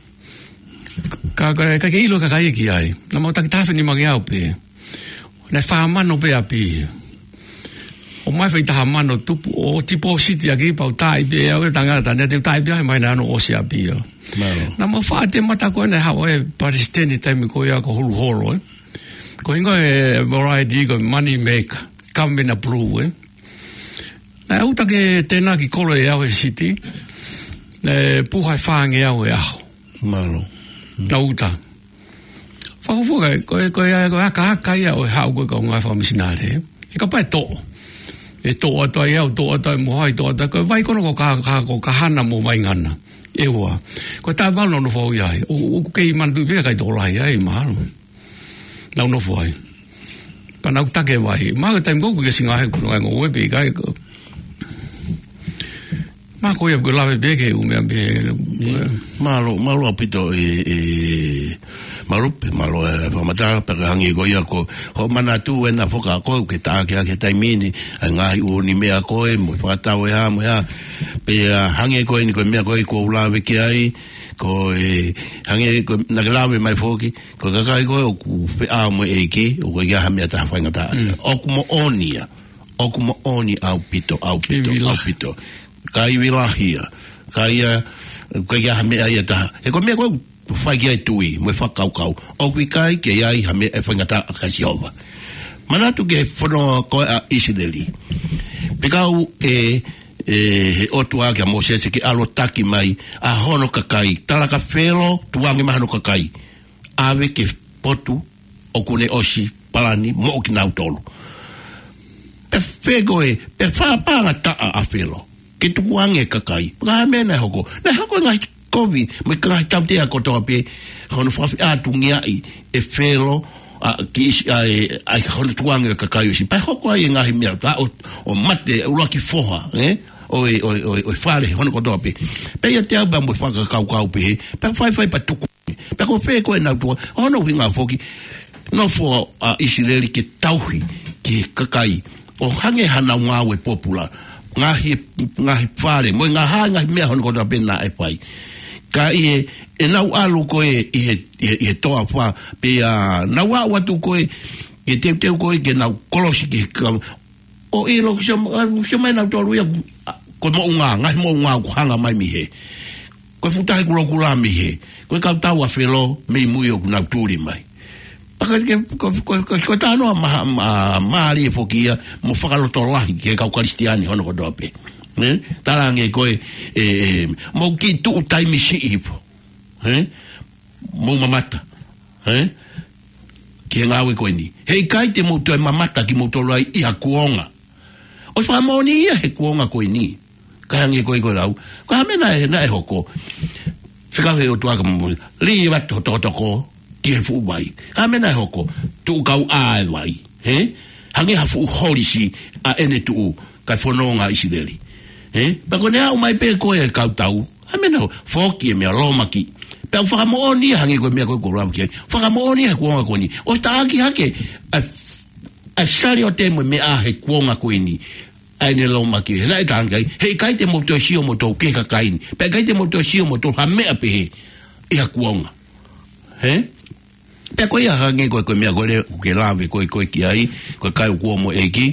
Ka, ka, ka ke ʻilo e kakai ki ai. Naʻa mau taki taha afe nima ngeau pē. Naʻe fā mano pē ʻapi. ʻOmai fai taha mano tupu, ʻo tipōsiti ʻaki pea u taaʻi pē au e tangata, naʻa te u taaʻi pē au he māhina ʻe ono ʻosi ʻapi ia. Mālō. Naʻa mau faʻa te mata ko ena haʻu e palesiteni taimi ko ia ko Huluholo, ē. Ko e hingoa e variety ko e money maker, government approve, ē. Naʻe ʻuta ke tena ki kolo ʻe au he siti, naʻe puha e fā ngeau he ʻaho. Mālō. Naʻe ʻuta. Fakafuka, ko e, ko e, ko e aka, aka ia ʻo e haʻu ko ē kau ngāue fakamisinale. ʻE kapau ʻe toʻo. ʻE toʻo atu ai au, toʻo atu ai Moʻohai, toʻo atu ai. Ko e vai ko ena ko Ka-, Ka-, ko Kahana mo Vaingana. ʻE ua. Ko e taʻu ʻe valu naʻa ku nofo au ai. ʻO, ʻoku kei manatuʻi pē ʻe he kakai tokolahi ai, mahalo. Naʻa ku nofo ai. Pea naʻa ku taki e vai. Mahalo ko e taimi ko ē ʻoku ke singa he kuno ai ngoue pē ʻikai ko. Mahalo ko ia ʻoku lave pē ki he ʻū meʻa pē. Mālō, mālō ʻaupito ē, ē, Malupe, mālō e fakamatala, pea ka hangē ko ia ko hoʻo manatu ena foki ko ē ʻoku ke taʻaki ʻaki he taimi ni, ʻa e ngaahi ʻū ni meʻa ko ē, mo e fakatau e hā, mo e hā. Pea hangē ko eni ko e meʻa ko ē ʻoku ou lave ki ai, ko e, hangē ko e, naʻa ke lave mai foki, ko e kakai ko ē ʻoku feʻao mo e ʻEiki, ʻoku ʻikai ha meʻa taha faingataʻa. Mm. ʻOku moʻoni ia. ʻOku moʻoni ʻaupito, ʻaupito, ivi lahi. ʻAupito. Ka ivi lahi ia. Ka ʻoku ʻikai ha meʻa ia ʻe taha. He ko e meʻa ko ē ʻoku fai ki ai e tui, mo e fakakaukau, ʻoku ʻikai ke ʻi ai ha meʻa ʻe faingataʻa kia Sihova. Manatu ki he fononga ko ē ʻa ʻIsileli. Pea kau e, e, he ʻOtua kia Mōsese ke ʻalu ʻo taki mai ʻa hono kakai, tala kia Felo, tukuange mai hono kakai. ʻAve ki he potu ʻoku ne ʻosi palani moʻo kinautolu. Pea fēfē ko ē, pea fakapaʻanga taʻa ʻa Felo ke tukuange e kakai. Pea ko e hā e meʻa naʻe hoko? Naʻe hoko e ngaahi kovi, mo e ngaahi tautea kotoa pē, hono fakafeʻātungiaʻi ʻe Felo ʻa, ki ʻIsi-, ʻa, e, ʻa hono tukuange e kakai ʻo ʻIsi-, pea hoko ai e ngaahi meʻa, tā ʻo, ʻo mate e ʻuluaki foha, ē? ʻO e, ʻo e, ʻo e, ʻo e fale hono kotoa pē. Pea ʻiate au pea mo e fakakaukau pehē, pea faifai pea tuku. Pea ko fē ko ē ʻenau tukuange, ʻo hono ʻuhinga foki, nofo ʻa ʻIsileli ke tauhi ki he kakai, ʻo hangē haʻanau ngāue pōpula, ngaahi, ngaahi fale, mo e ngaahi, ngaahi meʻa hono kotoa pē naʻe fai. Ka ʻi he, ʻenau ʻalu ko ē ʻi he, ʻi he, ʻi he toafa, pea nau aʻu atu ko ē, ke teuteu ko ē ke nau kolosi ki he ka-, ʻo ʻilo, sio, sio mai nautolu ia, ko e moʻunga, ngaahi moʻunga ʻoku hanga mai mei hē. Ko e fuʻu tahi kulokula mei hē. Ko e kau tau ʻa Felo mei mui ʻoku nau tuli mai. Pea ko e, ko, ko, ko, ko e talanoa ma-, ma-, mālie foki ia mo fakalotolahi ki he kau Kalisitiane hono kotoa pē. Ē? Talaange ko e, e, e, mou kiʻi tuʻu taimi siʻi hifo. Ē? Mou mamata. Ē? Ki he ngāue ko eni. Heʻikai te mou toe mamata kimoutolu ai ʻi ha kuonga. ʻOsi fakamoʻoni ia he kuonga ko eni. Ka hangē ko e ko e lau. Ko e hā e meʻa naʻe, naʻe hoko? Fekau he ʻOtua kia Mōsese, lī atu ho tokotoko ki he fuʻu vai. Ko e hā e meʻa naʻe hoko? Tuʻu kau ʻā e vai. Ē? Hangē ha fuʻu holisi ʻa ʻene tuʻu, kae fononga ʻa ʻIsileli. Ē? Pea ko ʻene aʻu mai pē ko ē kau tau, ʻa e meʻa naʻe foki e meʻa lōmaki. Pea ʻoku fakamoʻoni ia hangē ko e meʻa ko ē ʻoku ou lau ki ai. Fakamoʻoni ia he kuonga ko eni. ʻOsi taʻaki hake ʻa, ʻa e saliote mo e meʻa he kuonga ko eni. ʻA ʻene lōmaki. He naʻe talaange ai, heʻikai te mou toe sio moutolu ki he kakai ni. Pea ʻikai te mou toe sio moutolu ha meʻa pehē ʻi ha kuonga. Ē? Pea ko ia hangē ko e, ko e meʻa ko ē ʻoku ke lave ko ē, ko ē ki ai, ko e kai ʻoku ʻomo ʻEiki,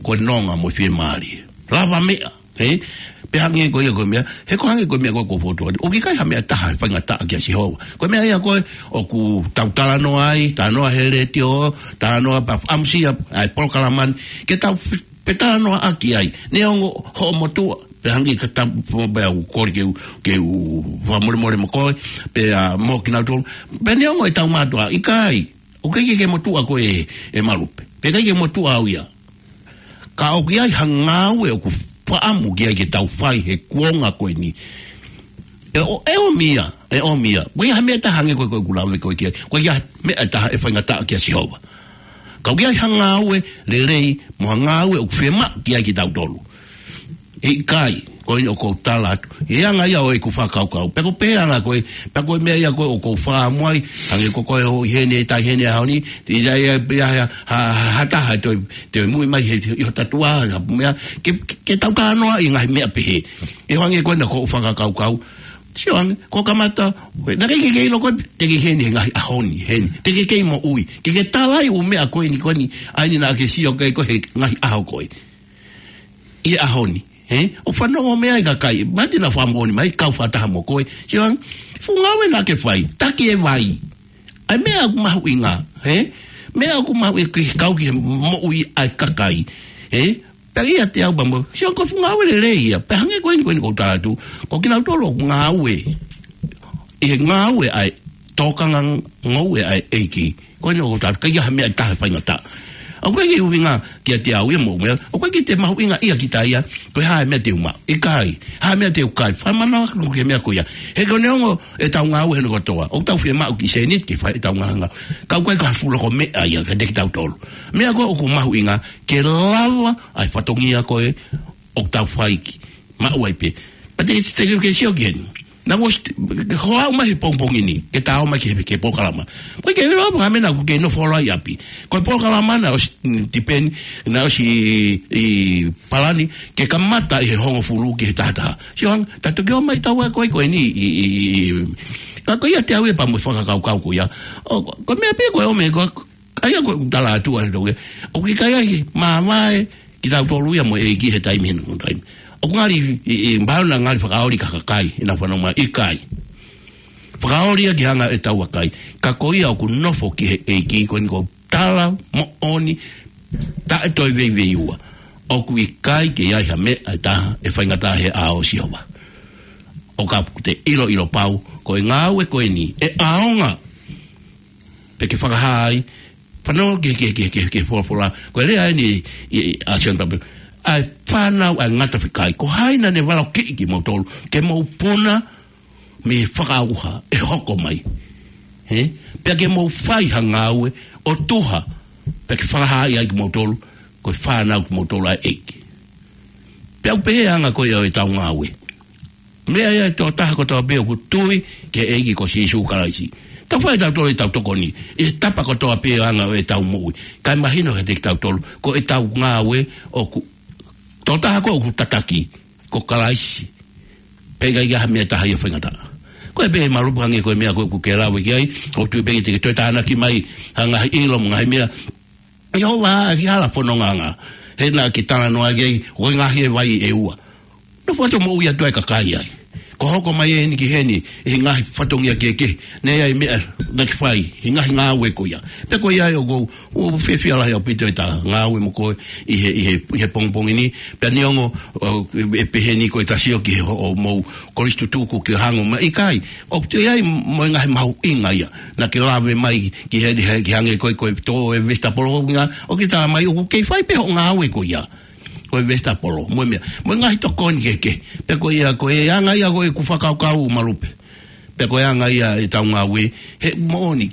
ko e nonga mo e fiemālie. Lavameʻa, ē? Pea hangē ko ia ko e meʻa, he ko e hangē ko e meʻa ko ē ʻoku ou fokotuʻu atu. ʻOku ʻikai ha meʻa ʻe taha ʻe faingataʻa kia Sihova. Ko e meʻa ia ko ē ʻoku tau talanoa ai, talanoa he letiō, talanoa pea ʻamusia ʻa e polokalama ni, ke tau f-, pea talanoaʻaki ai. Neongo hoʻo motuʻa, pea hangē ka ta-, pea u kole ke u, ke u fakamolemole mo koe, pea mo kinautolu. Pea neongo ʻetau mātuʻa, ʻikai. ʻOku ʻikai ke ke motuʻa koe ʻe, ʻe Malupe. Pea ʻikai ke motuʻa au ia. Ka ʻoku ʻi ai ha ngāue ʻoku fakaʻamu ki ai ke tau fai he kuonga ko eni. ʻE ʻo, ʻe ʻomi ia, ʻe ʻomi ia. ʻOku ʻikai ha meʻa ʻe taha hangē ko e, ko e ʻoku lave ko ē ki ai. ʻOku ʻikai ha meʻa ʻe taha ʻe faingataʻa kia Sihova. Ka ʻoku ʻi ai ha ngāue lelei, mo ha ngāue ʻoku fiemaʻu ki ai kitautolu. ʻIkai, ko eni ʻoku ou tala atu. ʻI he anga ia ʻo ʻeku fakakaukau. Pea ko e pehē anga ko ē, pea ko e meʻa ia ko ē ʻoku ou fakaʻamu ai, hangē ko koe ʻo ʻi heni, ʻi heni ʻaho ni, ʻi ai ʻa e, ʻi ai ha, ha, ha, ha taha ʻe toe, toe muimui mai he, ʻi hota tuʻa, ha meʻa, ke, ke, ke tau talanoaʻi e ngaahi meʻa pehē. ʻE hangē ko ena ʻoku ou fakakaukau. Sio ange, ko e kamata, naʻe ʻikai ke ke ʻilo koe, te ke ʻi heni he ngaahi ʻaho ni, heni. Te ke kei moʻui, ke ke tala ai ʻū meʻa ko eni, ko eni, ʻa eni naʻa ke sio ki ai koe he ngaahi ʻaho ko ē. ʻI he ʻaho ni, ē? ʻO fanongo mai e kakai, mate na fakamoʻoni mai, kau fakataha mo koe. Sio ange, fuʻu ngāue naʻa ke fai, taki e vai. ʻA e meʻa ʻoku mahuʻinga, ē? Meʻa ʻoku mahuʻinga ke kau ki he moʻui ʻa e kakai, ē? Pea ʻiate au pea mo, sio ange ko e fuʻu ngāue lelei ia, pea hangē ko eni ko eni ʻoku ou tala atu, ko kinautolu ʻoku ngāue. ʻI he ngāue ʻa e tokanga ngoue ʻa e ʻEiki. Ko eni ʻoku ou tala atu, ʻikai ha meʻa ʻe taha ʻe faingataʻa. ʻOku ʻikai ke ʻuhinga kiate au ia mo meʻa, ʻoku ʻikai ke te mahuʻingaʻia kita ia, ko e hā e meʻa te u maʻu. ʻIkai, hā e meʻa te u kai, fakamanavahē atu ki he meʻa ko ia. He ko e neongo ʻetau ngāue hono kotoa, ʻoku tau fiemaʻu kiʻi sēniti ke fai ʻetau ngaahi ngāue. Ka ʻoku ʻikai ko ha fuʻu loko meʻa ia kiate kitautolu. Meʻa ko ē ʻoku mahuʻinga, ke lava ʻa e fatongia ko ē ʻoku tau fai ki maʻu ai pē. Pea te, te, ke sio ki heni. Naʻa ku ʻosi, hoa au mai he pongipongi ni, ke ta ō mai ki he, ki he polokalama. Ko e ke lava ka mena ku ke nofo ʻalu ai ʻapi. Ko e polokalama naʻe ʻosi, mm, tipeni, naʻe ʻosi ʻi, ʻi palani, ke kamata ʻi he hongofulu ki he tahataha. Sio ange, ta toki ō mai taua ko ē ko eni, ʻi, ʻi, ʻi, ka ko ia te au ia pea mo e fakakaukau ko ia. ʻO, ko e meʻa pē ko e ʻomai ko, ʻa ia ko e tala atu ʻa e tau ia. ʻOku ʻikai ai, mamae, kitautolu ia mo e ʻEiki he taimi heni ko e taimi. ʻOku ngali, ʻi, ʻi, mahalo naʻa ngali fakaoli ki he kakai, ʻenau fanongo mai, ʻikai. Fakaoli ia ki he anga ʻetau vakai. Ka ko ia ʻoku nofo ki he ʻEiki, ko eni ko e tala moʻoni, taʻe toe veiveiua. ʻOku ʻikai ke ʻi ai ha meʻa ʻe taha ʻe faingataʻa he ʻao ʻo Sihova. ʻO kapau te ke ʻiloʻilo pau, ko e ngāue ko eni, ʻe ʻaonga. Pea ke fakahā ai, fanongo ki he, ki he, ki he, ki he, ki he folofola. Ko e lea eni ʻi, ʻi, ʻa Sione Papelu. ʻA e fānau ʻa e ngata fekai. Ko hai naʻa ne valokiʻi kimoutolu. Ke mou puna mei he fakaʻauha ʻe hoko mai. He? Pea ke mou fai ha ngāue ʻo tuha. Pea ke fakahā ai kimoutolu. Ko e fānau kimoutolu ʻa e ʻEiki. Pea ʻoku pehē anga ko ia ʻo ʻetau ngāue. Meʻa ia ʻa e tokotaha kotoa pē ʻoku tui ki he ʻEiki ko Sīsū Kalaisi. Tau fai ʻetau tokoni, ʻetau tokoni, ʻi he tapa kotoa pē ʻo e anga ʻo ʻetau moʻui. Kae mahino kiate kitautolu, ko ʻetau ngāue ʻoku, tokotaha ko ē ʻoku tataki, ko Kalaisi. Pea ʻikai ha meʻa ʻe taha ia ʻe faingataʻa. Ko e pē Malupe hangē ko e meʻa ko ē ʻoku ke lave ki ai, ʻoku ou tui pē te ke toe tānaki mai, ha ngaahi ʻilo mo e ngaahi meʻa, ʻi hoʻo vaʻa ki he hala fononga anga. He naʻa ke talanoa ki ai, ʻoku ʻi ai e ngaahi vai ʻe ua. Nofo atu ʻo moʻui atu ai e kakai ai. Ko e hoko mai eni ki heni, ʻi he ngaahi fatongia kehekehe. Naʻe ʻi ai e meʻa naʻa ke fai, ʻi he ngaahi ngāue ko ia. Pea ko ia ʻoku ou, ʻoku ou fiefia lahi ʻaupito ʻi heʻeta ngāue mo koe, ʻi he, ʻi he, ʻi he pongipongi ni. Pea neongo, ʻo, ʻe pehē ni ko ʻeta sio ki he hoʻomou kolisi tutuku ke hangē mai ʻikai. ʻOku toe ʻi ai mo e ngaahi mahuʻinga ia. Naʻa ke lave mai ki he, he, ki he hangē ko e, ko e tō e vesitapolo ko ē, ʻoku ke tala mai ʻoku kei fai pē hoʻo ngāue ko ia. Ko e vesitapolo, mo e meʻa. Mo e ngaahi tokoni kehekehe. Pea ko ia, ko e anga ia ko ē ʻeku fakakaukau Malupe. Pea ko e anga ia ʻetau ngāue, he moʻoni,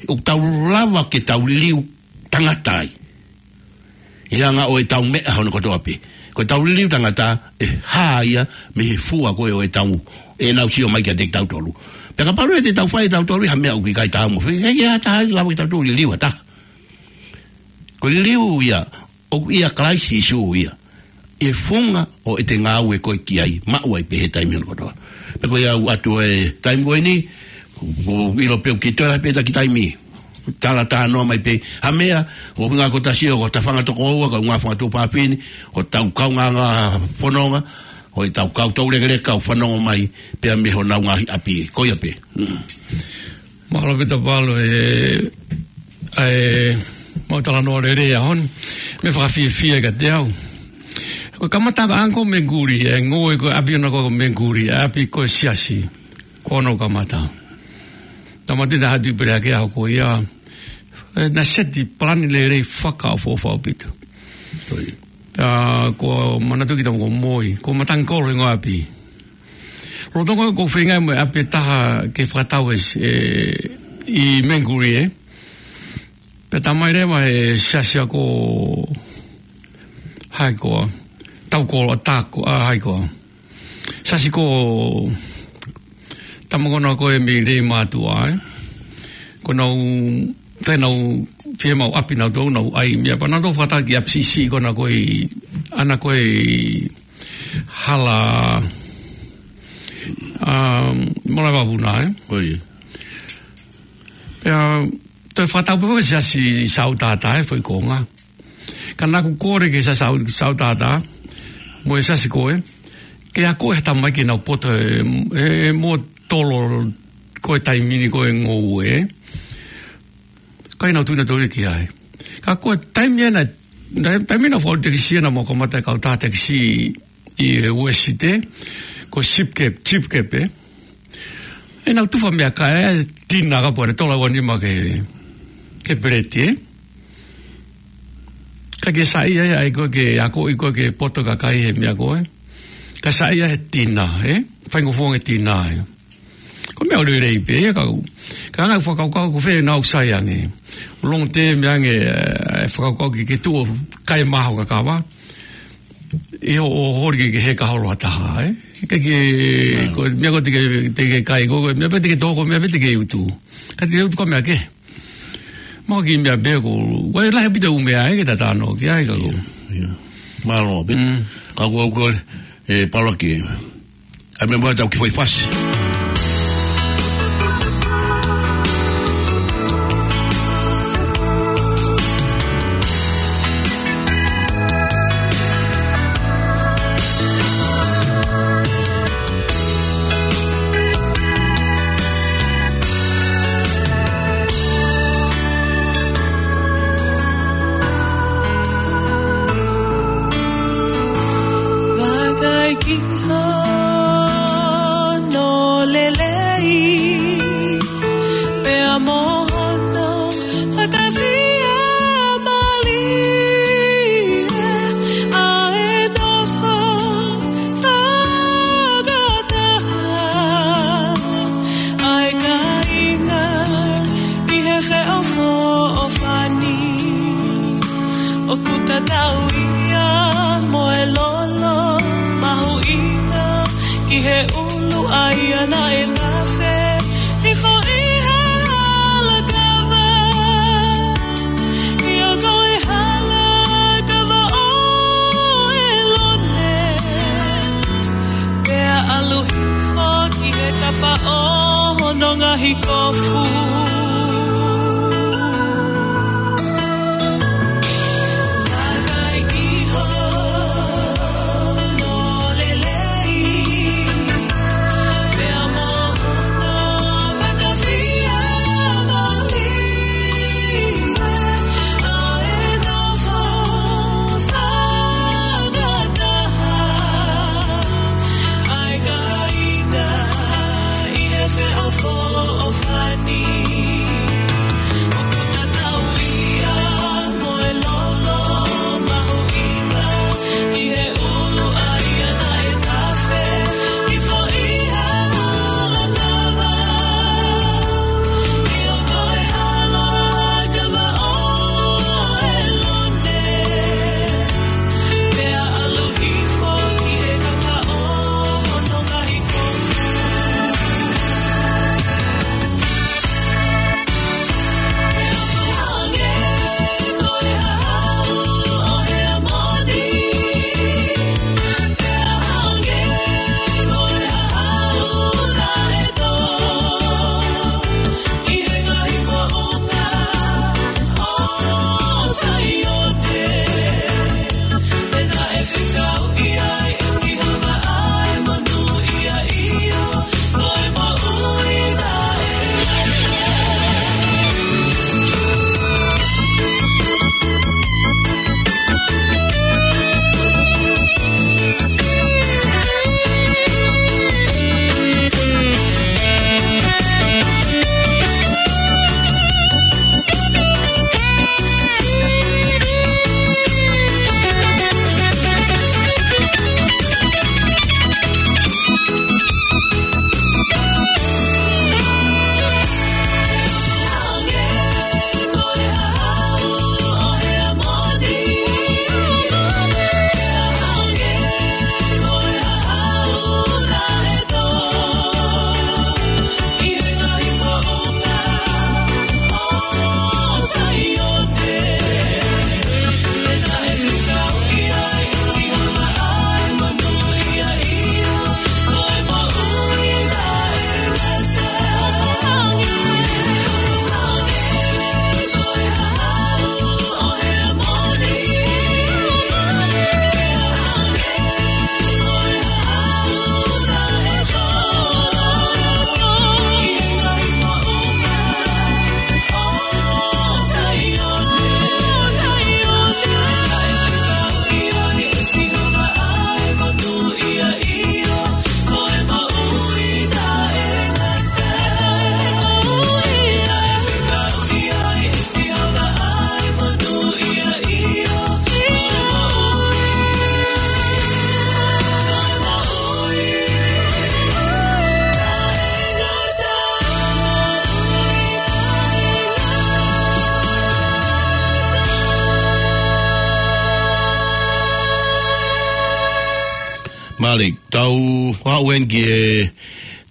ʻoku tau lava ke tau liliu tangata ai. ʻI he anga ʻo ʻetau meʻa hono kotoa pē. Ko ʻetau liliu tangata, ʻe hā ia mei he fua ko ē ʻo ʻetau, ʻenau sio mai kiate kitautolu. Pea kapau ʻe te tau fai ʻe tautolu ʻi ha meʻa ʻoku ʻikai taau mo e fē, ʻikai ke ʻi ai ha taha ʻe lava ke tautolu liliu ha taha. Ko e liliu ia, ʻoku ʻia Kalaisi Sīsū ia. ʻI he funga ʻo ʻete ngāue ko ē ki ai, maʻu ai pē he taimi hono kotoa. Pea ko ia ʻoku ʻoatu e taimi ko eni, ʻoku ʻilo pē ʻoku kei toe lahi pē ʻeta kiʻi taimi. Tala talanoa mai pē, ha meʻa, ʻoku ngā ko ʻeta sio, ko hota fanga tokoua, ko e ngā fanga tuofāfine, ko hotau kaungāngāue fononga, ko ʻetau kau toulekeleka ʻoku fanongo mai, pea mei honau ngaahi ʻapi, ko ia pē. Mm. Mālō pē Tapalo, ē, ʻa e, mau talanoa lelei ʻaho ni, meʻa fakafiefia kiate au. Ko e kamata ko ē ʻa Uncle Menguli, ʻa e ngoue ko ē ʻapi ʻoʻona ko Menguli, ʻapi ko e siasi, ko hono kamata. Tamati na hatu i pere ake ʻaho ko ia, ē, naʻe seti palani lelei fakaʻofoʻofa ʻaupito. Ko ia. ʻA, ko manatu ki tama ko Moi, ko Matangi Kolo ʻi he ngoue ʻapi. Lolotonga ko e feinga mo e ʻapi ʻe taha ke fakatau e s-, ē, ʻi Menguli ē. Pea tā mai leva he siasi ko hai koā. Tau Kolo, ʻa tā ko, ʻa hai koā. Siasi ko tama ko ena ko ē mei Leimātuʻa, ē. Ko ʻenau, ko ʻenau fiemaʻu ʻapi nautolu, nau ʻai meʻa pea nautolu fakatau ki he ʻapi siʻisiʻi ko ena ko ē, ʻa ena ko ē hala, um, Malaevavuna, ē? Ko ia. Pea, toe fakatau pē ko e siasi Saʻu Tātā, ē, foʻi konga. Ka naʻa ku kole ki he siasi Saʻu, Saʻu Tātā, mo e siasi ko ē, ke akoʻi ha tamaiki ʻenau poto ē, ē, ē mo tolo ko e taimi ni ko e ngoue, ē. Ka ʻi heʻenau tuʻu ʻenau toli ki ai. Ka ko e taimi ena, taimi, taimi ena fau tekisi ena mo kamata e kautaha tekisi ʻi he Uēsite, ko Cheap Cab, Cheap Cab, ē. ʻEnau tufa meʻakai, ē, tina ka pua ne tola ua nima ke, ke peleti, ē. Ka ke saiʻia ai, ʻai ko ē ke akoʻi ko ē ke poto kakai he meʻa ko ē. Ka saiʻia he tina, ē. Faingofuonga e tina, ē. Ko e meʻa ʻoku lelei pē, ē, ka u. Ka ʻoku ou fakakaukau ko fē ʻenau sai ange. Long term ange, ē, fakakaukau ke, ke tuʻu kai maho kakava. ʻI hoʻo holi ke, ke heka holo ha taha, ē? Ke, ke, ko e meʻa ko ē te ke, te ke kai, ko e meʻa pē te ke tō, ko e meʻa pē te ke utu. Ka te ke utu ko e meʻa kehe. Mahalo ko e kiʻi meʻa pē ko, ko e lahi ʻaupito e ʻū meʻa, ē, ke ta talanoa ki ai ka ko. Ia, ia. Mālō pē. Mm. Ka ko, ko, ē, Paula ke. ʻAi meʻa mo ʻetau kiʻi foʻi fasi. Ia naʻe tafe hifo ʻi he hala kava, ʻio ko e hala kava ʻo ʻElone, pea ʻalu hifo ki he kapa ʻo hono ngaahi kofu. Vakai ki hono lelei, pea mo hono fakafiemālie, ʻa e nofo fakataha ʻa e kāinga ʻi he feʻofoʻofani. ʻOku tatau ia mo e lolo mahuʻinga ʻi he ʻulu ʻa ia naʻe tafe hifo ʻi he hala kava, ʻio ko e hala kava ʻo ʻElone, pea ʻalu hifo ki he kapa ʻo hono ngaahi kofu. Mālie, tau aʻu eni ki he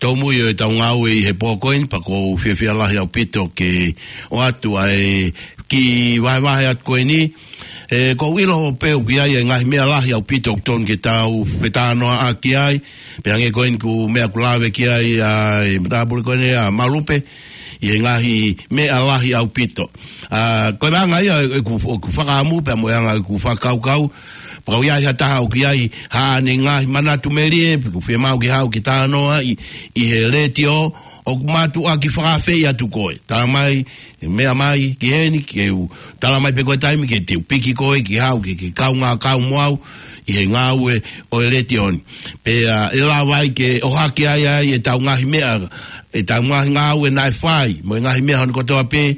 tau mui ʻo e tau ngāue ʻi he pō ko eni, pea ʻoku ou fiefia lahi ʻaupito ke ʻoatu ʻa e kiʻi vahevahe atu ko eni. ʻE, ʻoku ou ʻilo pē ʻoku ʻi ai e ngaahi meʻa lahi ʻaupito ʻoku totonu ke tau fetalanoaʻaki ai. Pea hangē ko eni ko e meʻa ʻoku lave ki ai ʻa e matāpule ko eni ʻa Malupe, ʻi he ngaahi meʻa lahi ʻaupito. ʻA, ko e anga ia ʻeku, ʻeku fakaʻamu pea mo e anga ʻeku fakakaukau, pea ʻoku ʻi ai ha taha ʻoku ʻi ai haʻane ngaahi manatu melie, pe ʻoku fiemaʻu ke haʻu ke talanoa ʻi, ʻi he letiō, ʻoku mātuʻaki fakaafeʻi atu koe. Tala mai, meʻa mai ki heni, ke u tala mai pē ko e taimi ke te u piki koe ke haʻu ke, ke kaungā kau mo au ʻi he ngāue ʻo e letiō ni. Pea ʻe lava ai ke ʻohake ai ai e tau ngaahi meʻa, e tau ngaahi ngāue naʻe fai, mo e ngaahi meʻa hono kotoa pē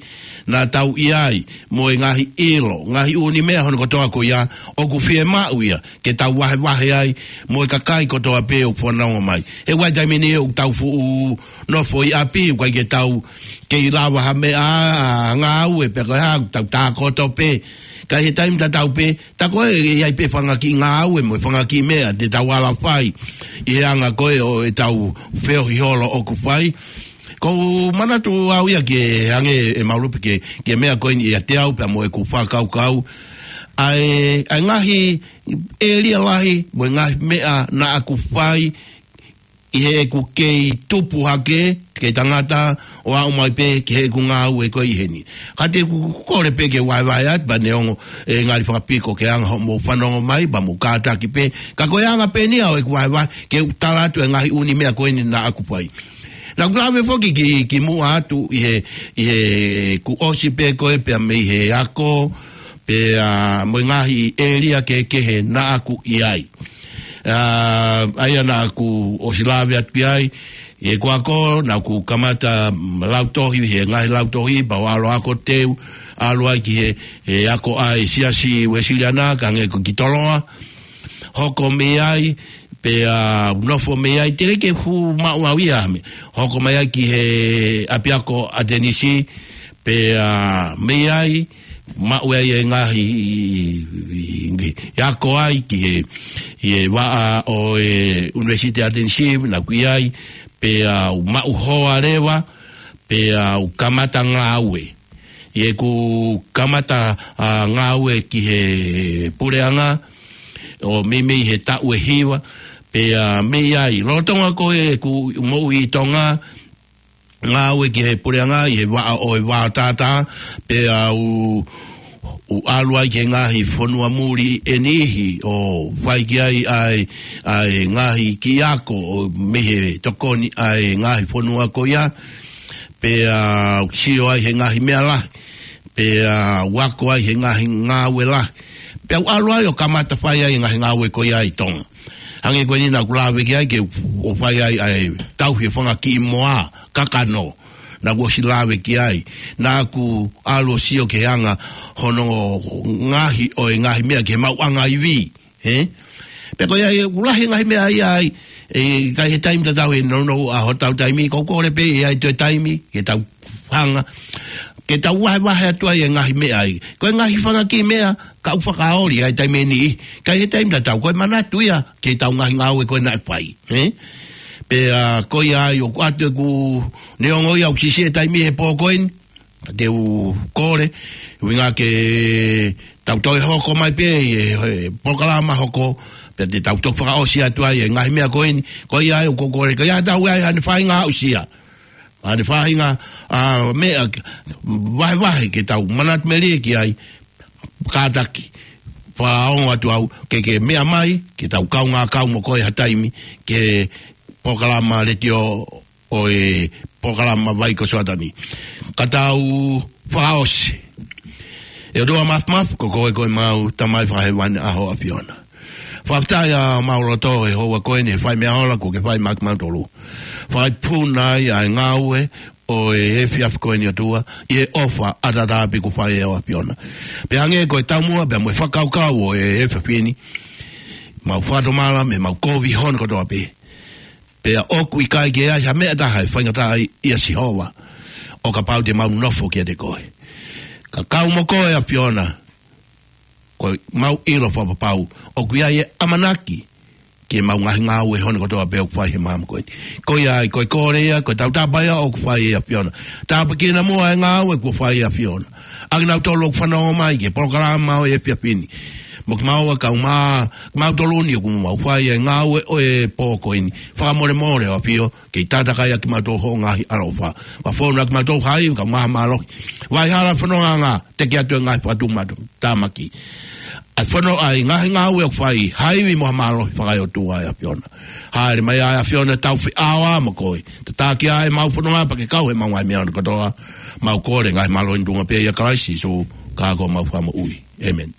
naʻa tau ʻi ai, mo e ngaahi ʻilo, ngaahi ʻū meʻa hono kotoa ko ia, ʻoku fiemaʻu ia ke tau vahevahe ai mo e kakai kotoa pē ʻoku fanongo mai. He ʻoku ʻi ai e taimi ʻoku tau fuʻu nofo ʻi ʻapi, ʻoku ʻikai ke tau kei lava ha meʻa, ʻa, ngāue pē ko e hā, tau tākoto pē Ka ʻi he taimi tatau pē, tā ko ē ʻe ʻi ai pē fanga kiʻi ngāue mo e fanga kiʻi meʻa te tau ala fai ʻi he anga ko ē ʻo ʻetau feohi holo ʻoku fai. Ko u manatu au ia ke hangē ʻe malu pē ke, ke meʻa ko eni ʻiate au pea mo ʻeku fakakaukau. ʻA e, ʻa e ngaahi ʻēlia lahi mo e ngaahi meʻa naʻa ku fai ʻi heʻeku kei tupu hake, kei tangata, ʻo aʻu mai pē ki heʻeku ngāue ko ē ʻi heni. Ka te u kole pē ke vaevae atu, pea neongo ʻe ngali fakapiko ke anga hoʻomou fanongo mai, pea mou kātaki pē. Ka ko e anga pē eni ia ʻo ʻeku vaevae, ke u tala atu e ngaahi ʻū meʻa ko eni naʻa ku fai. Naʻa ku lave foki ki, ki muʻa atu ʻi he, ʻi heʻeku ʻosi pē ko ē pea mei he ako, pea mo e ngaahi ʻēlia kehekehe naʻa ku ʻi ai. ʻA, ʻa ia naʻa ku ʻosi lave atu ki ai, ʻi heʻeku ako, naʻa ku kamata, mm, lautohi, he ngaahi lautohi, pea u ʻalu ako teu, ʻalu ai ki he, he ako ʻa e Siasi Uēsiliana, ka hangē ko Kitoloa, hoko mei ai, pea u nofo mei ai, teʻeki ke fuʻu maʻu au ia ʻa e meʻa. Hoko mai ai ki he ʻapiako ʻAtenisi, pea mei ai, maʻu ai e ngaahi, ʻi, ʻi, ʻi, ʻi ako ai ki he, ʻi he vaʻa ʻo e ʻUnivēsiti ʻAtenisi, naʻa ku ʻi ai, pea u maʻu hoa leva, pea u kamata ngāue. ʻI heʻeku kamata, ʻa, ngāue ki he puleʻanga, ʻo meimei he taʻu ʻe hiva, pea mei ai. Lolotonga ko ē ʻeku moʻui ʻi Tonga, ngāue ki he puleʻanga ʻi he vaʻa ʻo e vao tātā, pea u, u ʻalu ai ki he ngaahi fonua muli ʻe niʻihi, ʻo fai ki ai ʻa e, ʻa e ngaahi kiʻi ako, ʻo mei he tokoni ʻa e ngaahi fonua ko ia, pea u sio ai he ngaahi meʻa lahi, pea u ako ai he ngaahi ngāue lahi. Pea u ʻalu ai ʻo kamata fai ai e ngaahi ngāue ko ia ʻi Tonga. Hangē ko eni naʻa ku lave ki ai ke u, ʻo fai ai ʻa e tauhi e fanga kiʻi moa, kakano. Naʻa ku ʻosi lave ki ai. Naʻa ku ʻalu ʻo sio ki he anga hono ngaohi ʻo e ngaahi meʻa ki he maʻuʻanga ivi. Ē? Pea ko ia ʻoku lahi e ngaahi meʻa ia ai, ʻe, ka ʻi he taimi tatau ʻe nounou ʻa hotau taimi, ko u kole pē ʻe ʻi ai toe taimi, ke tau hanga, ke tau vahevahe atu ai e ngaahi meʻa ai. Ko e ngaahi fanga kiʻi meʻa, ka u fakaoli ai taimi ʻe niʻihi, ka ʻi he taimi tatau, ko e manatu ia, ke tau ngaahi ngāue ko ē naʻe fai, ē? Pea ko ia ai ʻoku ʻoatu ʻeku neongo ia ʻoku siʻisiʻi e taimi he pō ko eni, ka te u kole, ʻuhinga ke tau toe hoko mai pē ʻi he, he polokalama hoko, pea te tau toki fakaʻosi atu ai e ngaahi meʻa ko eni, ko ia ai ʻoku ou kole, ko ia tau ai haʻane faʻahinga aʻusia. Haʻane faʻahinga, ʻa, meʻa, vahevahe ke tau manatu melie ki ai, kātaki, fakaongo atu au, ke, ke meʻa mai, ke tau kaungā kau mo koe ha taimi, ki he polokalama letiō ʻo e polokalama Vai ko Soatani. Ka tau fakaʻosi. ʻE ʻOtua Māfimafi, ko koe ko ʻemau Tamai Fakahēvani, ʻa ho ʻAfiona. Fakafetaʻi ʻa mau loto he houa ko eni, he fai meʻa ola kuo ke fai maʻa kimautolu. Fai puna ai ʻa e ngāue ʻo e efiafi ko eni ʻOtua, ʻi he ʻofa ʻataʻatā pē kuo fai ʻe ho ʻAfiona. Pea hangē ko e taumuʻa, pea mo e fakakaukau ʻo e efiafi ni, mau fakatomala mei heʻemau kovi hono kotoa pē. Pea ʻoku ʻikai ke ʻi ai ha meʻa ʻe taha ʻe faingataʻaʻia Sihova, ʻo kapau te mau nofo kiate koe. Ka kau mo koe ʻAfiona, ko ʻemau ʻilo fakapapau ʻoku ʻi ai e ʻamanaki ki heʻemau ngaahi ngāue hono kotoa pē ʻoku fai he māmani ko eni. Ko ia ai, ko e kole ia, ko e tautapa ia ʻoku fai ʻe ʻAfiona. Tāpuekina muʻa e ngāue kuo fai ʻe ʻAfiona. ʻA kinautolu ʻoku fanongo mai ki he polokalama ʻo e efiafi ni. Mo kimaua kae ʻumaʻā kimautolu ni ʻoku mau fai e ngāue ʻo e pō ko eni. Fakamolemole ʻo ʻAfio, kei tātakai ʻa kimautolu ho ngaahi ʻaloʻofa. Fakafonu ʻa kimautolu ha ivi kae ʻumaʻā ha mālohi. Vai hala fonongaʻanga, teʻeki atu e ngaahi fakatuʻutāmaki. ʻA e fono ʻa e ngaahi ngāue ʻoku fai, ha ivi mo ha mālohi fakaeʻotua ʻe ʻAfiona. Hāʻele mai ʻa e ʻAfiona tau feʻao mo koe. Tataki ʻa ʻemau fononga pea ke kau heʻemau ngaahi meʻa hono kotoa. Mau kole ngaahi mālohi ni ʻi he tuʻunga pē ʻia Kalaisi Sīsū, ko homau Fakamoʻui. ʻĒmeni.